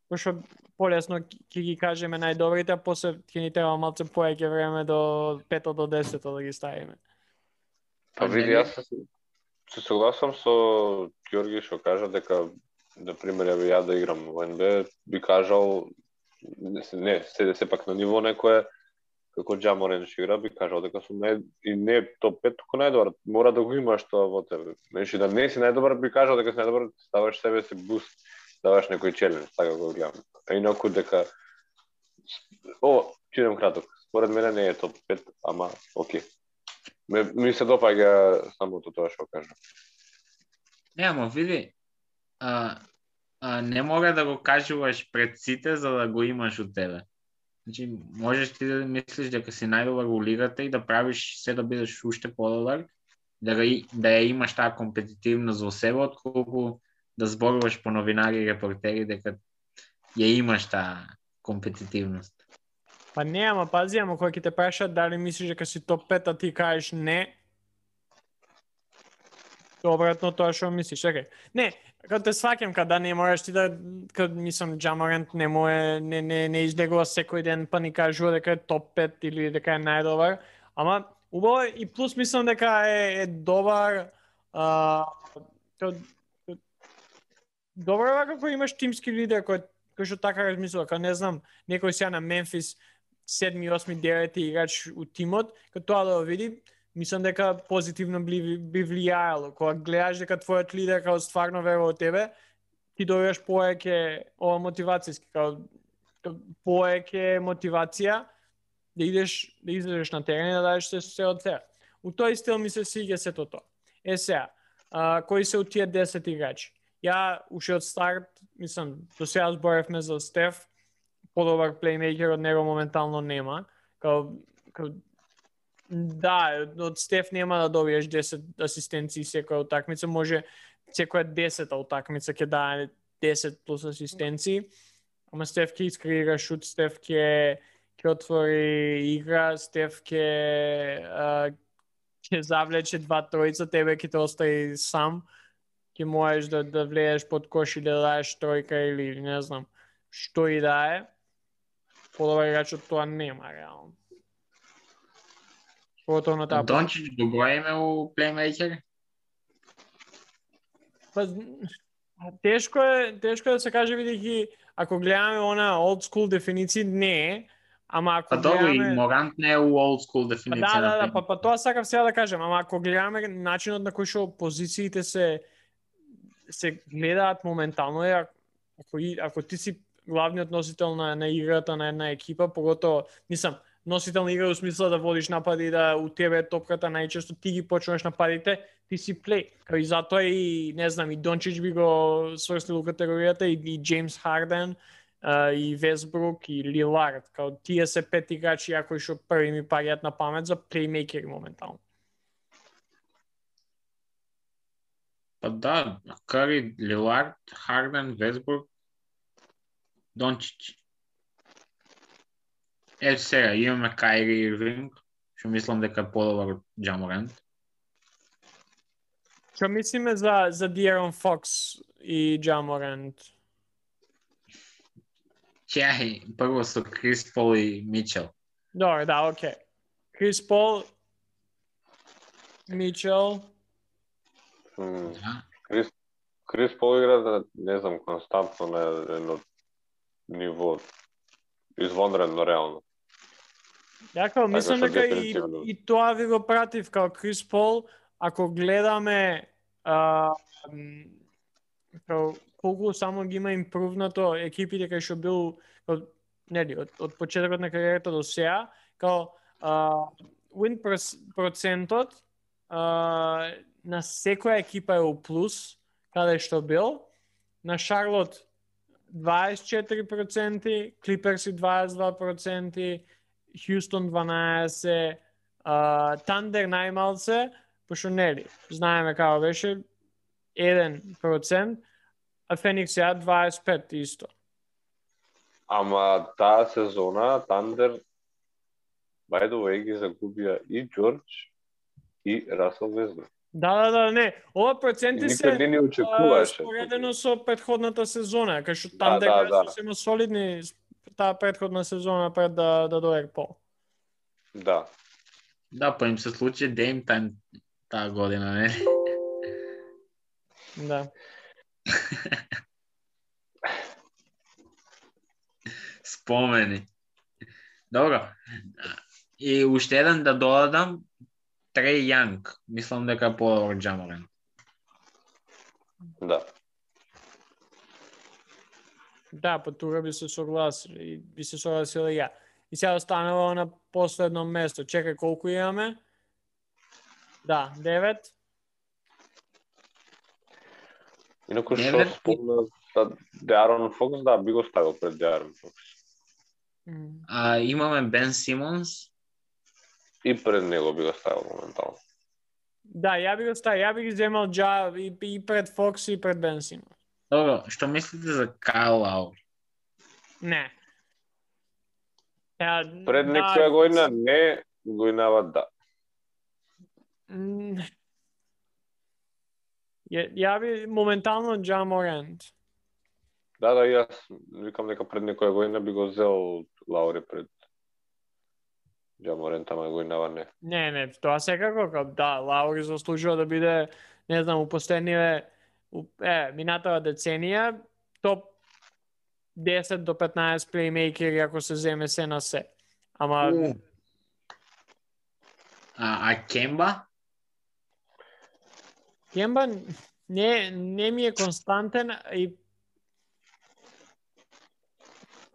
Пошто полесно ќе ги кажеме најдобрите, а после ќе ни треба малце поеќе време до 5 до 10 да ги ставиме. Па види, јас се согласам со Ѓорги што кажа дека, на пример, ја да играм во НБА, би кажал, не, сепак на ниво некое, како Ja Morant што игра, би кажал дека сум и не топ 5, туку најдобар. Мора да го имаш тоа во тебе. Значи да не си најдобар, би кажал дека си најдобар, ставаш себе си буст, даваш некој челендж, така го гледам. А инаку дека ќе идем краток. Според мене не е топ 5, ама окей. Ми се допаѓа самото тоа што кажа. Не, ама види, не мора да го кажуваш пред сите за да го имаш од тебе. Значи, можеш ти да мислиш дека си најдобар во лигата и да правиш се да бидеш уште подобар, да ја имаш таа компетитивност во себе, отколку да зборуваш по новинари и репортери дека ја имаш таа компетитивност. Па не, ама пази, ама кој ќе те прашат дали мислиш дека си топ 5, а ти кажеш не, обратно тоа што мислиш. Чекај. Не, кога те сваќам, кога не можеш ти да, мислам, Ja Morant не излегува секој ден па ни кажува дека е топ 5 или дека е најдобар, ама убаво и плюс мислам дека е добар, добар како имаш тимски лидер кој што така размислува, кога не знам, некој сега на Мемфис 7, 8, 9 играч у тимот, кога тоа да го види, мислам дека позитивно би влијаело. Кога гледаш дека твојот лидер као стварно верува во тебе, ти добиваш поеќе ова мотивацијски, као поеќе мотивација да излезеш на терен и да дадеш се од себе. У тој стил ми се свиѓа сето тоа. Сега, кои се у тие 10 играчи? Ја уште од старт, мислам, до сега зборевме за Стеф, подобар плеймейкер од него моментално нема. Да, од Стеф нема да добиеш 10 асистенции секоја утакмица, може секоја 10-та утакмица ќе даде 10 плюс асистенции. Ама Стеф ќе искреира шут, Стеф ќе отвори игра, Стеф ќе завлече 2-3, тебе ќе те остави сам. Ќе можеш да влезеш под кош и да дадеш тројка или не знам што и да е. Подобар играч од тоа нема реално. Дончич добро име у плеймейкер? Па тешко е да се каже, бидејќи ако гледаме она old school дефиниција не е, ама ако гледаме и Морант не е у old school дефиниција на плеймейкер. Па тоа сакав сега да кажем, ама ако гледаме начинот на кој што позициите се гледаат моментално, ако ти си главниот носител на играта на една екипа, поготово, носител на игра во смисла да водиш напади, да у тебе топката најчесто ти ги почнуваш нападите, ти си плей. И затоа и не знам, и Дончич би го сврстил у категоријата, и Джеймс Харден, и Весбрук, и Лилард, као тие се 5 играчи кои што први ми паѓаат на памет за плеймейкери моментално. Па да, Кари, Лилард, Харден, Весбрук, Дончич. Сега, имаме Кайри Ирвинг, што мислам дека е подобар од Ja Morant. Што мислиме за De'Aaron Fox и Ja Morant? Чај, прво со Крис Пол и Мичел. Добре, да, окей. Крис Пол, Мичел. Крис Пол игра, не знам, константно на едно ниво извонредно реално. Јако, мислам дека и тоа ви го пратив као Крис Пол, ако гледаме колку само ги има импрувнато екипите кај што бил од почетокот на кариерата до сега, као win процентот на секоја екипа е у плюс, каде што бил, на Шарлот 24%, Клиперси 22%, Хјустон 12%, Тандер најмалце, пошто нели, знаеме како беше 1%, а Феникс ја 25% исто. Ама таа сезона Тандер by the way ги загубија и Џорџ и Расел Весбрук. Да, не. Ова проценти се споредено со претходната сезона, кај што Тандер беа сосема солидни таа претходна сезона пред да дојде Пол. Да. Да, па им се случи Дейм Тајм таа година, не? Да. Спомени. Добро. И уште еден да додадам, Треј Јанг, мислам дека е подобар Ja Morant. Да. Да, па тука би се согласил и ја. И сега останува на последно место. Чекај, колку имаме? Да, 9. Инаку што спомна De'Aaron Fox, да, би го ставил пред De'Aaron Fox. Имаме Бен Симонс. И пред него би го ставил моментално. Да, ја би го ставил, ја би ги земал и пред Фокс и пред Бен Симонс. Добро, што мислите за Кайл Лаури? Не. Пред некоја година не, годинава да. Ја би моментално Ja Morant. Да, јас викам дека пред некоја година би го зел Лаури пред Ja Morant, ама годинава не. Не, тоа секако, да, Лаури заслужува да биде, не знам, у последниве, минатава деценија, топ 10 до 15 плеймейкери ако се земе се на се. Ама... Кемба? Кемба не ми е константен и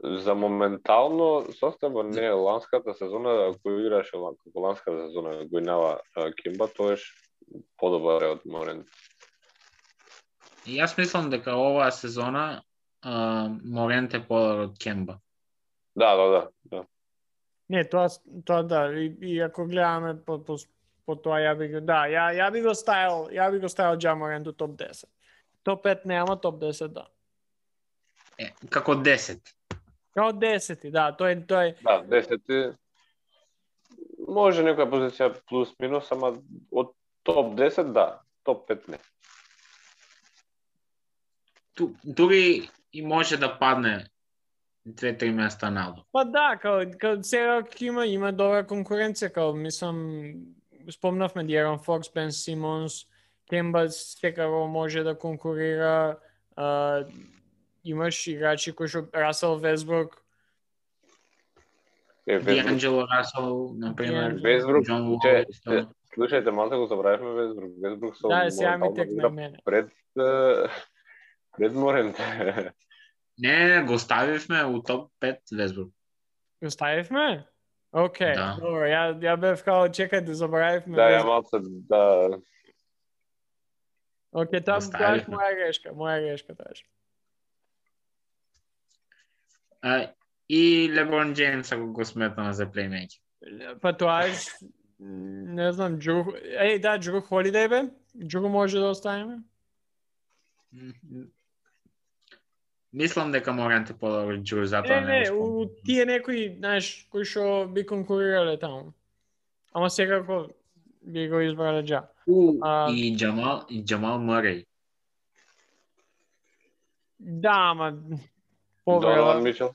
за моментално составот не е ланската сезона, ако играше како ланската сезона годинава Кемба, тоеш подобар е од Морент. Јас мислам дека оваа сезона Морент е подобар од Кемба. Да. Не, тоа да, и ако гледаме по тоа ја би го, да, ја би го ставил Ja Morant до топ 10. Топ 5 нема, топ 10 да. Како 10. Како 10, да, тој Да, 10 може некоја позиција плюс минус, ама од топ 10 да, топ 5 не. Дури и може да падне 2-3 места надолу. Па да, као сега има добра конкуренција, као мислам спомнавме Д'Aaron Fox, Бен Симонс, Кемба секако може да конкурира, имаш играчи кои што Расел Весбрук, Дианджело Расел, например, Весбрук, Џон Уол. слушајте, малку го забравивме Весбрук. Весбрук со Да, сега ми текна мене. Пред Морент. Не, го ставивме у топ 5 Весбрук. Го ставивме? Океј, Да. добро, ја бев као чекајте, забравивме. Да, ја малце, да. Океј, тоа ставивме. моја грешка тааш. И Леброн Джеймс, ако го сметаме за плеймейкер. Па тоаш, не знам, Джру Холидеј бе? Джру може да оставиме? Мислам дека Морент е подобар Джру, затоа Не, у тие некои, знаеш, кои што би конкурирале таму. Ама секако би го избрале Джа. И Джамал Мърей. Да, ама Донован Мичел.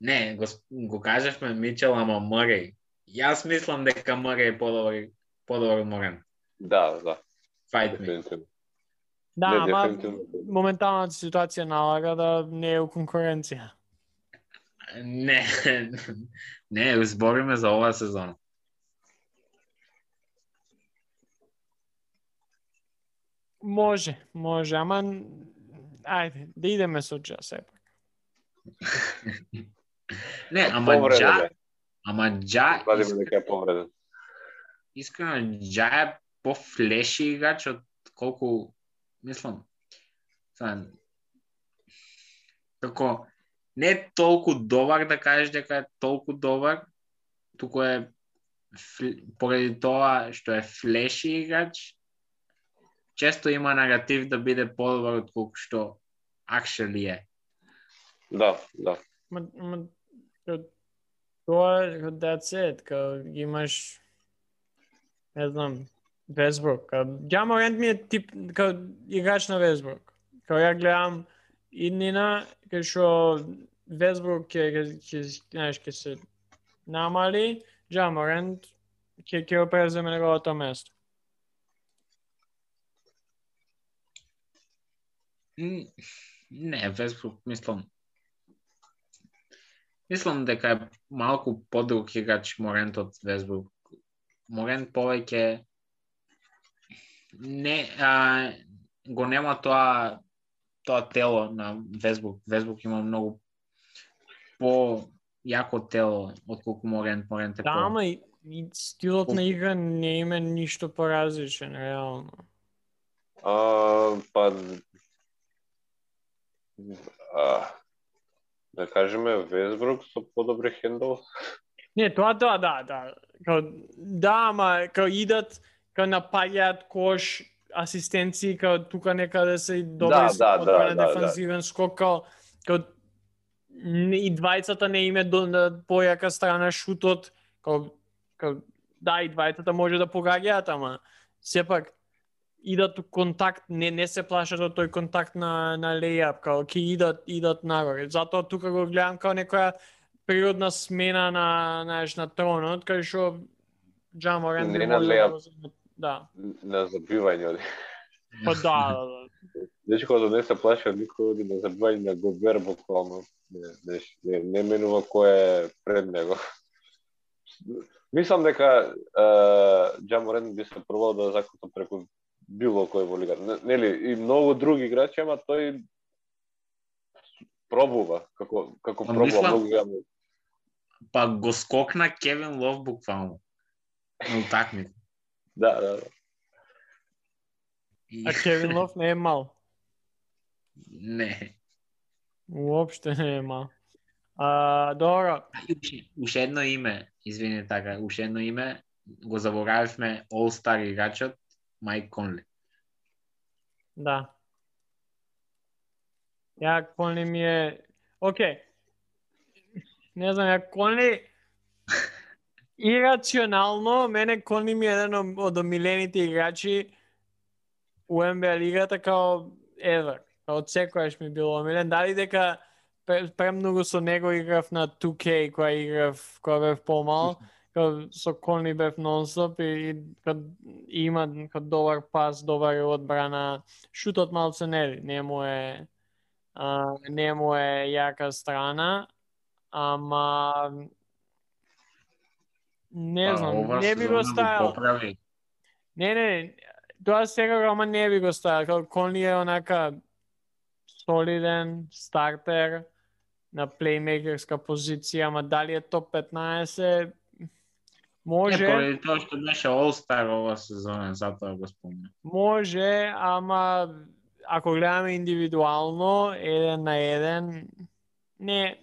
Не, го кажавме Мичел, ама Мърей. Јас мислам дека Мърей е подобар од Морент. Да. Fight me. Дефинитивно. да, Не, ама дефинитивно. моменталната ситуација налага да не е у конкуренција. Не, збориме за оваа сезона. Може, ама ајде, да идеме со Джа сепак. Не, ама Джа Вадиме дека е повреден. искрено Джа е по-флеши играч од колку мислам. Како не е толку добар да кажеш дека е толку добар, туку е поради тоа што е флеши играч, често има негатив да биде подобар од колку што actually е. Да. Тоа, that's it, као имаш, не знам, Весбрук. Ja Morant ми е тип, као играч на Весбрук. Као ја гледам иднина, кај што Весбрук ќе се намали, Ja Morant ќе го преземе неговото место. Не, Весбрук, мислам дека е малку подруг играч Морент од Весбрук. Морент повеќе го нема тоа тело на Весбрук. Весбрук има многу по-јако тело отколку Морент. Морент е Да, ама и стилот на игра не има ништо поразличен, реално. Да кажеме Весбрук со подобри хендл. Не, тоа да. Ама као идат, као напаѓаат кош, асистенции, као тука некаде се и добри на дефанзивен скок, као и двајцата не име до појака страна шутот, да, и двајцата може да погаѓаат, ама сепак идат контакт, не се плашат од тој контакт на лејап, као ќе идат нагоре. Затоа тука го гледам као некоја природна смена на тронот, кај што Ja Morant не на лејап, да. на забивање. Па да. Значи кога не се плаши од никој на забивање на Гобер буквално. Не менува кој е пред него. Мислам дека Ja Morant би се пробал да закута преку било кој во лигата. Нели и многу други играчи, ама тој пробува како пробува многу јавно. Па го скокна Кевин Лов буквално на утакмица. Да. А Кевин Лов не е мал. Не. Уопште не е мал. Добро. Уште едно име, извини така, уште едно име, го заборавивме All-Star играчот Майк Конли. Да. Ја Конли ми е... Океј. Не знам, ја Конли... Ирационално, мене Конли ми е еден од омилените играчи у NBA лигата као ever. Од секојаш ми било омилен. Дали дека премногу со него играв на 2K, која бев помал, со Конли бев нонстоп и има добар пас, добар одбрана, шутот малце не му е јака страна, ама не знам, не би го ставил. Не, тоа сега, ама не би го ставил. Конли е онака солиден стартер на плеймейкерска позиција, ама дали е топ 15, може. Поради тоа што беше All-Star ова сезона, затоа го спомнам. Може, ама ако гледаме индивидуално, 1-1, не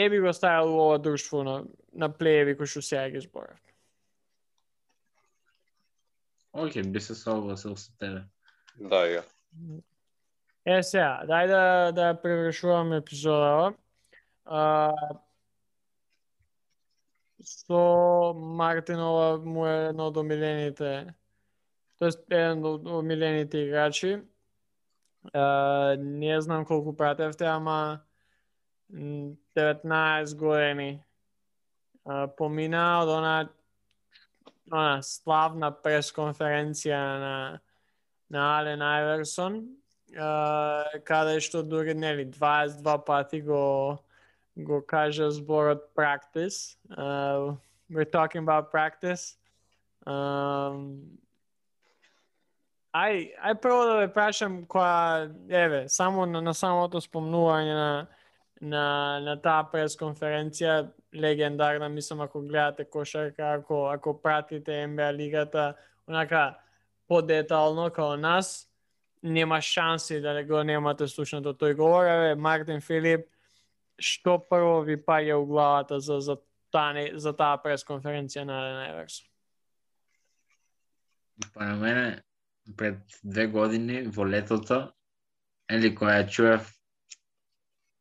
би го ставил во ова друштво на плееви кои што сега ги зборав. Океј, би се согласил со тебе. Да, ја. Сега, дај да превршуваме епизодава. Со Мартинова му е едно од омилените, тоест еден од омилените играчи. Не знам колку пратевте, ама 19 години помина од она славна пресконференција на Ален Айверсон, каде што дури 22 пати го кажа зборот practice. We're talking about practice. Ај прво да ве прашам која, само на самото спомнување на таа пресконференција, легендарна, мислам, ако гледате кошарка, ако пратите NBA лигата, онака подетално као нас, нема шанси да го немате слушнато тој говор. Мартин Филип, што прво ви паѓа у главата за таа пресконференција на Ален Айверсон? Па на мене, пред 2 години во летото, која чуев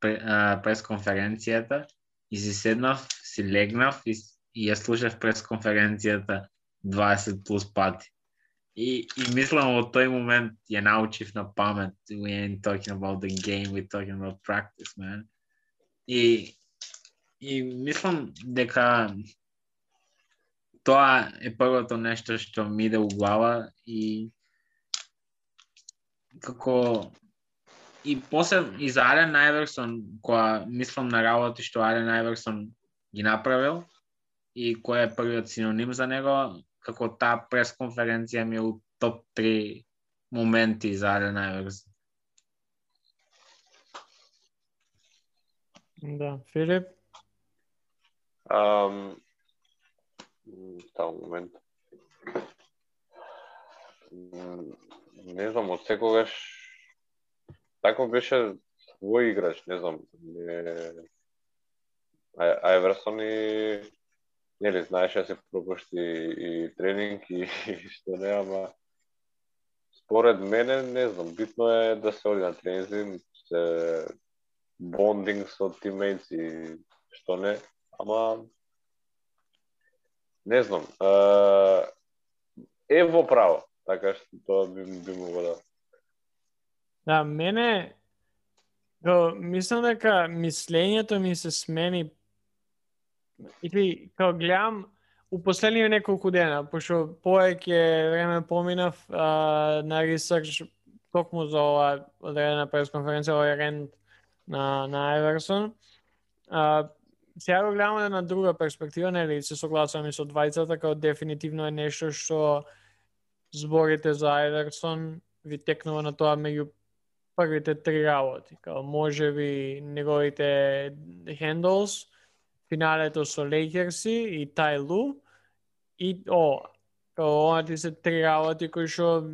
пресконференцијата и си седнав, си легнав и ја слушав пресконференцијата 20 плюс пати. И мислам од тој момент ја научив на памет. We ain't talking about the game, we're talking about practice, man. И мислам дека тоа е првото нешто што ми иде у глава и како и после и за Ален Айверсон, која мислам на работи што Ален Айверсон ги направил и кој е првиот синоним за него, како таа пресконференција ми е у топ 3 моменти за Ален Айверсон. Да, Филип? Таа момент. Не знам, од секогаш тако беше свој играч, не знам. Айверсон и знаеше да се пропушти и тренинг и што не, ама според мене, не знам, битно е да се оди на тренинзи, се бондинг со тиммейтс и што не, ама не знам, е во право, така што тоа би могло да. Да, мене мислам дека мислењето ми се смени или као гледам у последниве неколку дена, пошто повеќе време поминав на ресерч токму за ова одредена пресконференција, овој рент на Айверсон. Сега го гледаме на друга перспектива, нели се согласувам и со двајцата, као дефинитивно е нешто што зборите за Айверсон ви текнува на тоа меѓу првите 3 работи, као можеби неговите handles, финалето со Лейкерси и Тај Лу и Ова ти се три работи кои што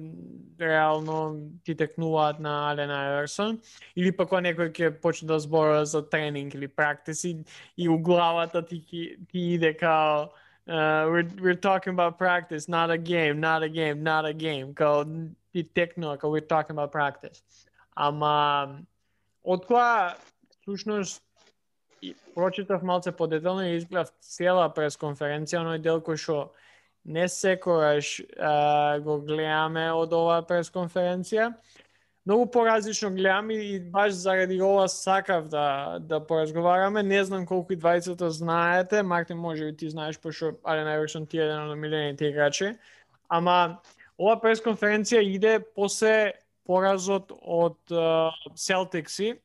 реално ти текнуваат на Ален Айверсон, или пак некој ќе почне да зборува за тренинг или практиси и у главата ти иде као we're talking about practice, not a game. Као ти текнува, као we're talking about practice. Ама откоја всушност прочитав малце подетално и изгледав цела пресконференција, оној дел кој што не секогаш го гледаме од оваа пресконференција. Многу поразлично гледам и баш заради ова сакав да поразговараме. Не знам колку и двајцата знаете, Мартин можеби ти знаеш, пошто Ален Айверсон ти е еден од омилените играчи. Ама ова пресконференција иде после поразот од Селтикси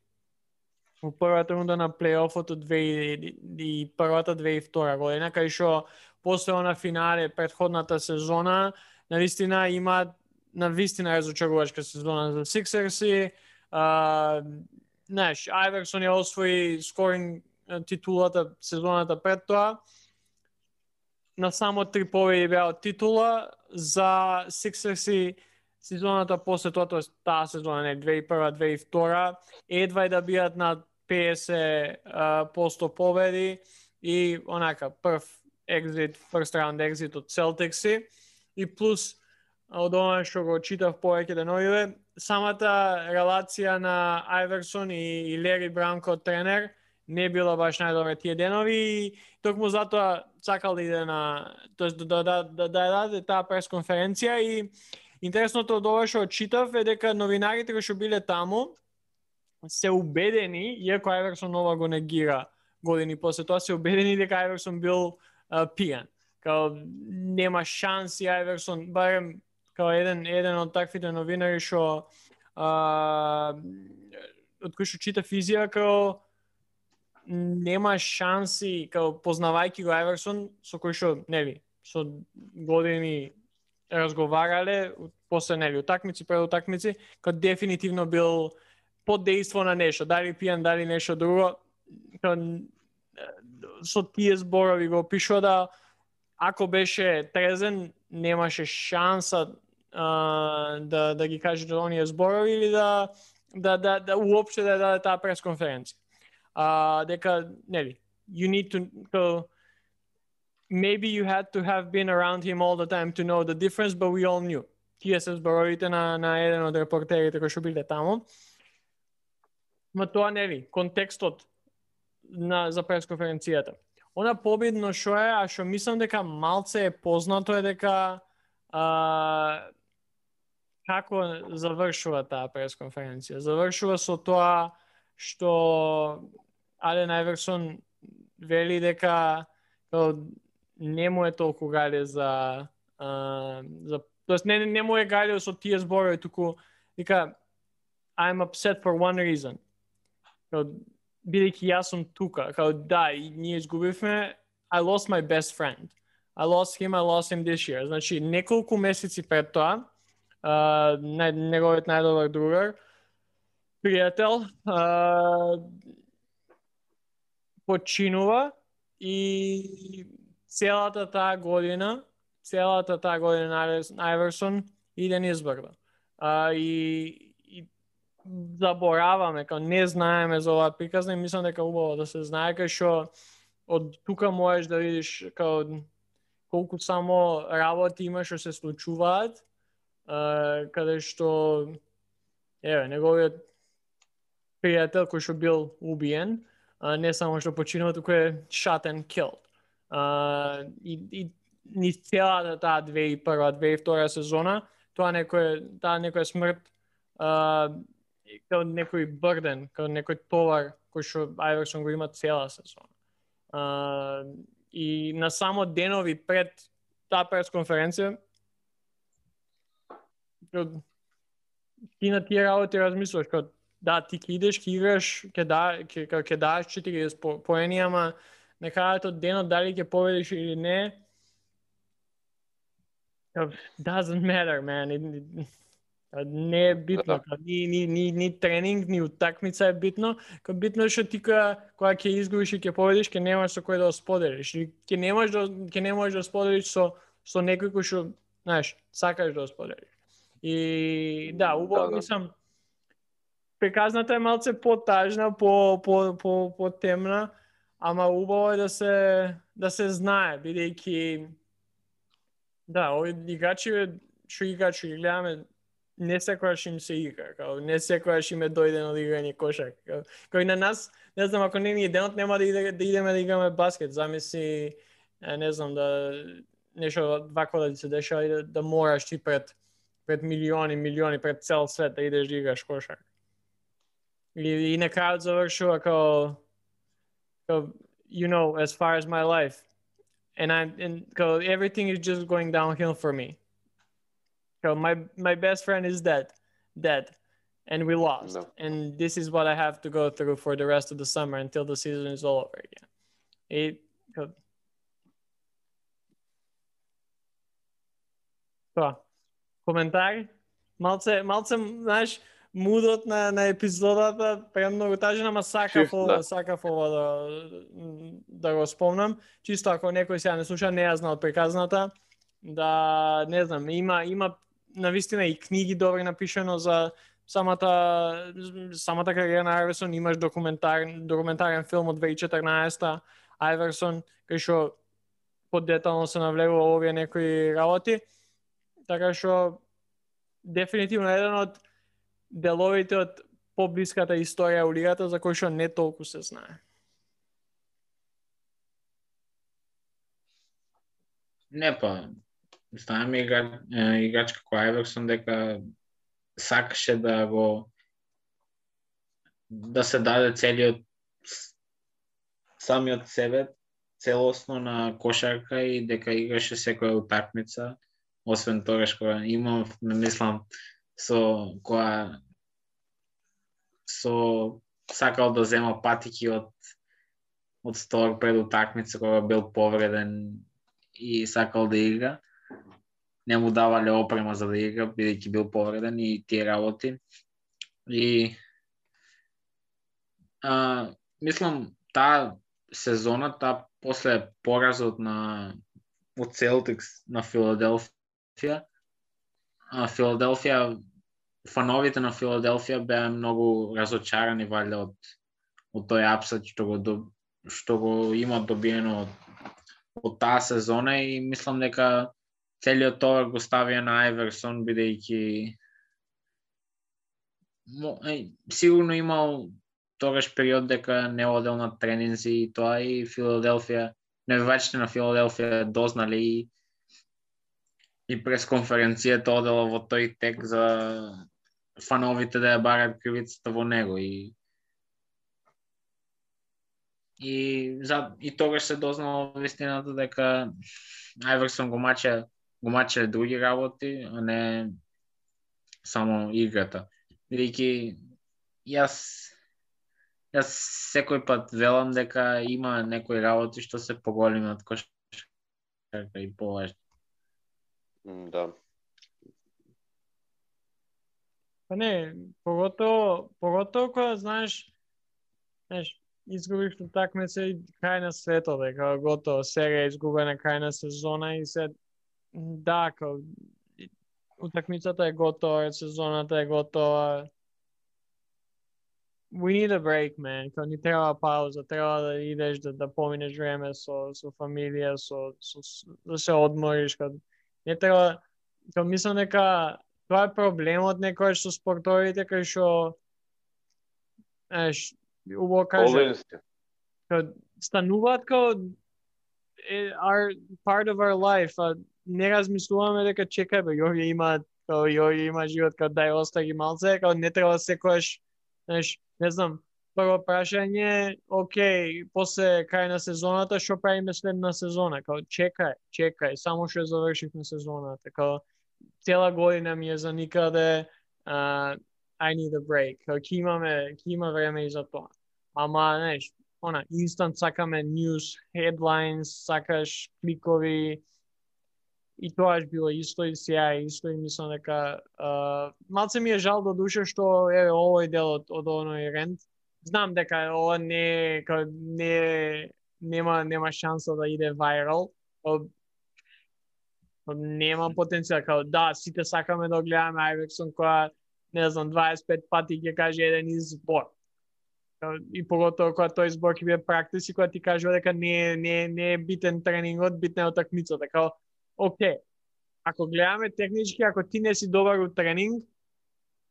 во првата рунда на плейофот од 2001-2002 година, кај што после она финале претходната сезона, навистина има навистина разочарувачка сезона за Сиксерси. Знаеш, Айверсон ја освои скоринг титулата сезоната пред тоа. На само 3 победи беа од титула за Сиксерси сезоната после тоа, тоест таа сезона, не 2001-2002, едва и да бијат на 50% победи и онака прв first round exit од Celticsi и плюс од ова што го читав повеќе деновиве, самата релација на Айверсон и Лери Бранко тренер не била баш најдобра тие денови и токму затоа сакал да иде на, тоест да даде таа пресконференција и интересното од ова што читав е дека новинарите кои што биле таму се убедени, иако Айверсон ова го негира години после тоа, се убедени дека Айверсон бил пијан. Као нема шанси Айверсон, барем као еден од таквите новинари што од кој што чита физија, као нема шанси, као познавајќи го Айверсон, со кој што, нели, со години разговарале, после, нели, утакмици, пред утакмици, као дефинитивно бил под дејство на нешто, дали пијан, дали нешто друго, као со тие зборови го опишува да ако беше трезен, немаше шанса да ги каже оние зборови или да уопште да даде таа пресконференција. Дека, нели, you need to maybe you had to have been around him all the time to know the difference, but we all knew. Тие се зборовите на еден од репортерите кои што биле таму. Ма тоа, нели, контекстот за пресконференцијата. Она победно што е, а што мислам дека малце е познато е дека како завршува таа пресконференција. Завршува со тоа што Ален Айверсон вели дека не му е толку гале за тоест не му е гале со тие зборови, туку дека I'm upset for one reason. Бидејќи јас сум тука, да, и ние изгубивме, I lost my best friend. I lost him this year. Значи, неколку месеци пред тоа, неговиот најдобар другар, пријател, починува и целата таа година Айверсон иде низбрда. И забораваме, не знаеме за оваа приказна и мислам дека убаво да се знае, кај што од тука можеш да видиш колку само работи има што се случуваат, каде што неговиот пријател кој што бил убиен, не само што починува, туку е shot and killed. И ни целата таа 2001-2002 сезона, таа некоја смрт, као некој брден, као некој товар кој што Айверсон го има цела сезона. И на само денови пред таа пресконференција, ти на тие работи размислуваш, као да, ти ќе идеш, ќе играш, ќе даш 40 поени, ама на крајот од денот дали ќе победиш или не, doesn't matter, man. Не е битно, ни тренинг, ни утакмица е битно, битно е што ти кога ќе изгубиш и ќе победиш, ќе немаш со кој да го споделиш, или ќе не можеш да споделиш со некој кој што знаеш, сакаш да споделиш. И да, убаво, мислам, приказната е малце потажна, по темна, ама убаво е да се знае, бидејќи да, овие играчи што играчи ги гледаме, не секогаш им се игра, као не секогаш им е дојдено да играње кошак. Као и на нас, не знам, ако не ни е денот, нема да идеме да играме баскет. Замисли, не знам, да нешто вако да се дешава и да мораш ти пред милиони, пред цел свет да идеш да играш кошак. И на крајот завршува као you know, as far as my life. And everything is just going downhill for me. So my best friend is dead, and we lost. No. And this is what I have to go through for the rest of the summer until the season is all over again. Коментари? Малце, знаеш, мудот на епизодата премногу тажен, ама сакав да го спомнам. Чисто ако некој сега не слуша, не ја знал од приказната, да, не знам, има навистина и книги добри напишано за самата кариера на Айверсон. Имаш документарен филм од 2014 Айверсон, кај што подетално се навлегува овие некои работи. Така што дефинитивно еден од деловите од поблиската историја у лигата за кој што не толку се знае. Не па, знаеме играч како Айверсон дека сакаше да се даде целиот самиот себе целосно на кошарка и дека играше секоја утакмица, освен тогаш кога мислам со сакал да зема патики од стор пред утакмица кога бил повреден и сакал да игра. Не му давале опрема за да игра, бидејќи бил повреден и тие работи. И мислам, таа сезона, после поразот од Celtics на Филаделфија, фановите на Филаделфија беа многу разочарани валјда од тој апсет што го имат добиено од таа сезона, и мислам дека целиот товар го ставија на Айверсон, бидејќи сигурно имал тогаш период дека не одел на тренинзи и тоа, и Филаделфија, навивачите на Филаделфија дознали и прес конференцијата одела во тој тек за фановите да ја барат кривицата во него, и тогаш се дознало вистината дека Айверсон го маче други работи, а не само играта. Бидејќи јас секој пат велам дека има некои работи што се поголеми од кошарка и поважни. Да. Па не, поготово кога знаеш, изгубиш утакмица и крај на светот, дека готово, сега е изгубена крај на сезона и се да, утакмицата е готова, сезоната е готова. We need a break, man. Ни треба пауза, треба да идеш да поминеш време со фамилија, да се одмориш, не треба, мислам дека тоа е проблемот некојаш со спортовите, кај што убаво каже, стануваат are part of our life, не размислуваме дека чекај бе, јови има живот, дај остаги малце, не треба секојаш, не знам, прво прашање, окей, после крај на сезоната, што правиме следна сезона? Чекај, само што завршивме сезоната, цела година ми е за никаде, I need a break, ќе има време и за тоа. Ама, instant сакаме news, headlines, сакаш кликови, и тоа било исто и сега исто, и мислам дека малце ми е жал до душа што овој дел од оној рент. Знам дека ова нема шанса да иде вајрал. Нема потенцијал, као да, сите сакаме да гледаме Айверсон која, не знам, 25 пати ќе каже еден избор. И поготово кога тој збор ќе биде практис и кога ти кажува дека не е битен тренингот, битна е утакмицата. Као, окей, ако гледаме технички, ако ти не си добар у тренинг,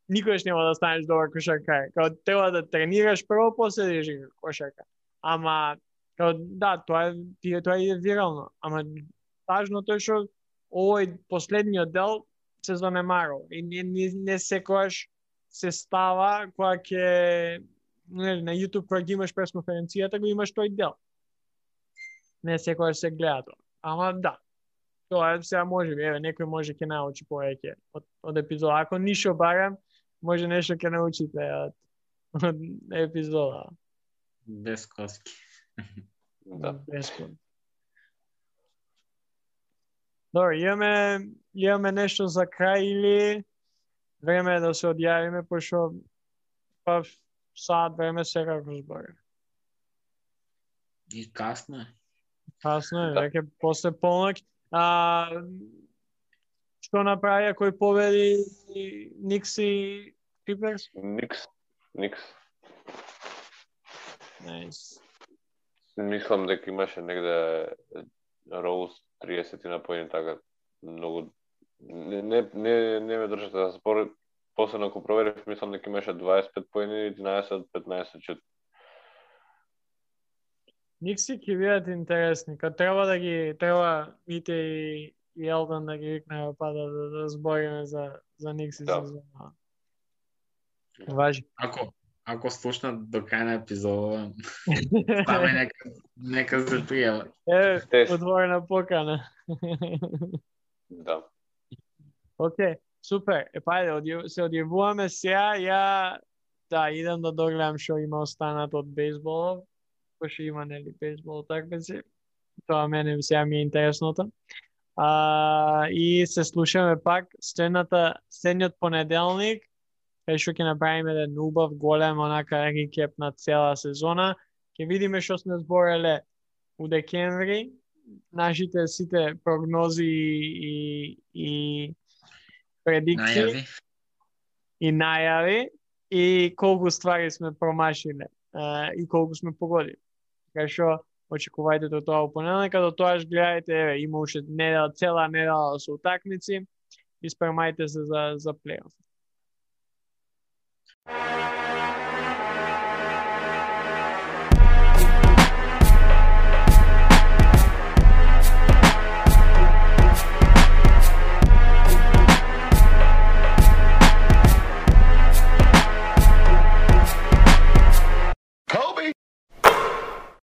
никогаш нема да станеш добар кошаркар. Као треба да тренираш прво, после да играш кошарка. Ама, као, да, тоа е вирално. Ама важното е што овој последниот дел се занемарува. И не секогаш се става кога ќе на YouTube кога ги имаш пресконференцијата, го имаш тој дел. Не секогаш се гледа тоа. Ама да. Тоа сега може би, еве, некој може ќе научи повеќе од епизода. Ако ништо барам, може нешто ќе научите од епизода. Без коски. Да. Без коски. Добро, имаме нешто за крај или време е да се одјавиме, пошто саат време секако збори. И касно е. Касно е, Да. веќе после полнок. Што направија кој победи Никс и Клиперс? Никс. Најс. Мислам дека имаше негде Роуз 30 на поени, така многу не ме држате да спор. После ако проверив, мислам дека имаше 25 поени, 11-15 чут. Никси ќе бидат интересни. Кога треба Мите и Елден да ги викнеме па да збориме за Никси Да. сезона. Важи. Ако слушнат до крај на епизода, ставаме нека се пријава. Отворена покана. Да. Океј, супер. Ајде, се одјавуваме сега. Да, идам да догледам што има останато од бейсболов. Пошто има, нели, бейсбол такмици. Тоа мене сега ми е интересното. И се слушаме пак следниот понеделник, кај што ќе направиме еден убав, голем, онака рекеп на цела сезона. Ќе видиме што сме збореле у декември, нашите сите прогнози и предикции и најави и колку ствари сме промашиле и колку сме погодили. Така што очекувајте до тоа понеделник, до тоа гледајте, еве, има уште цела недела со утакмици и спремајте се за плейоф.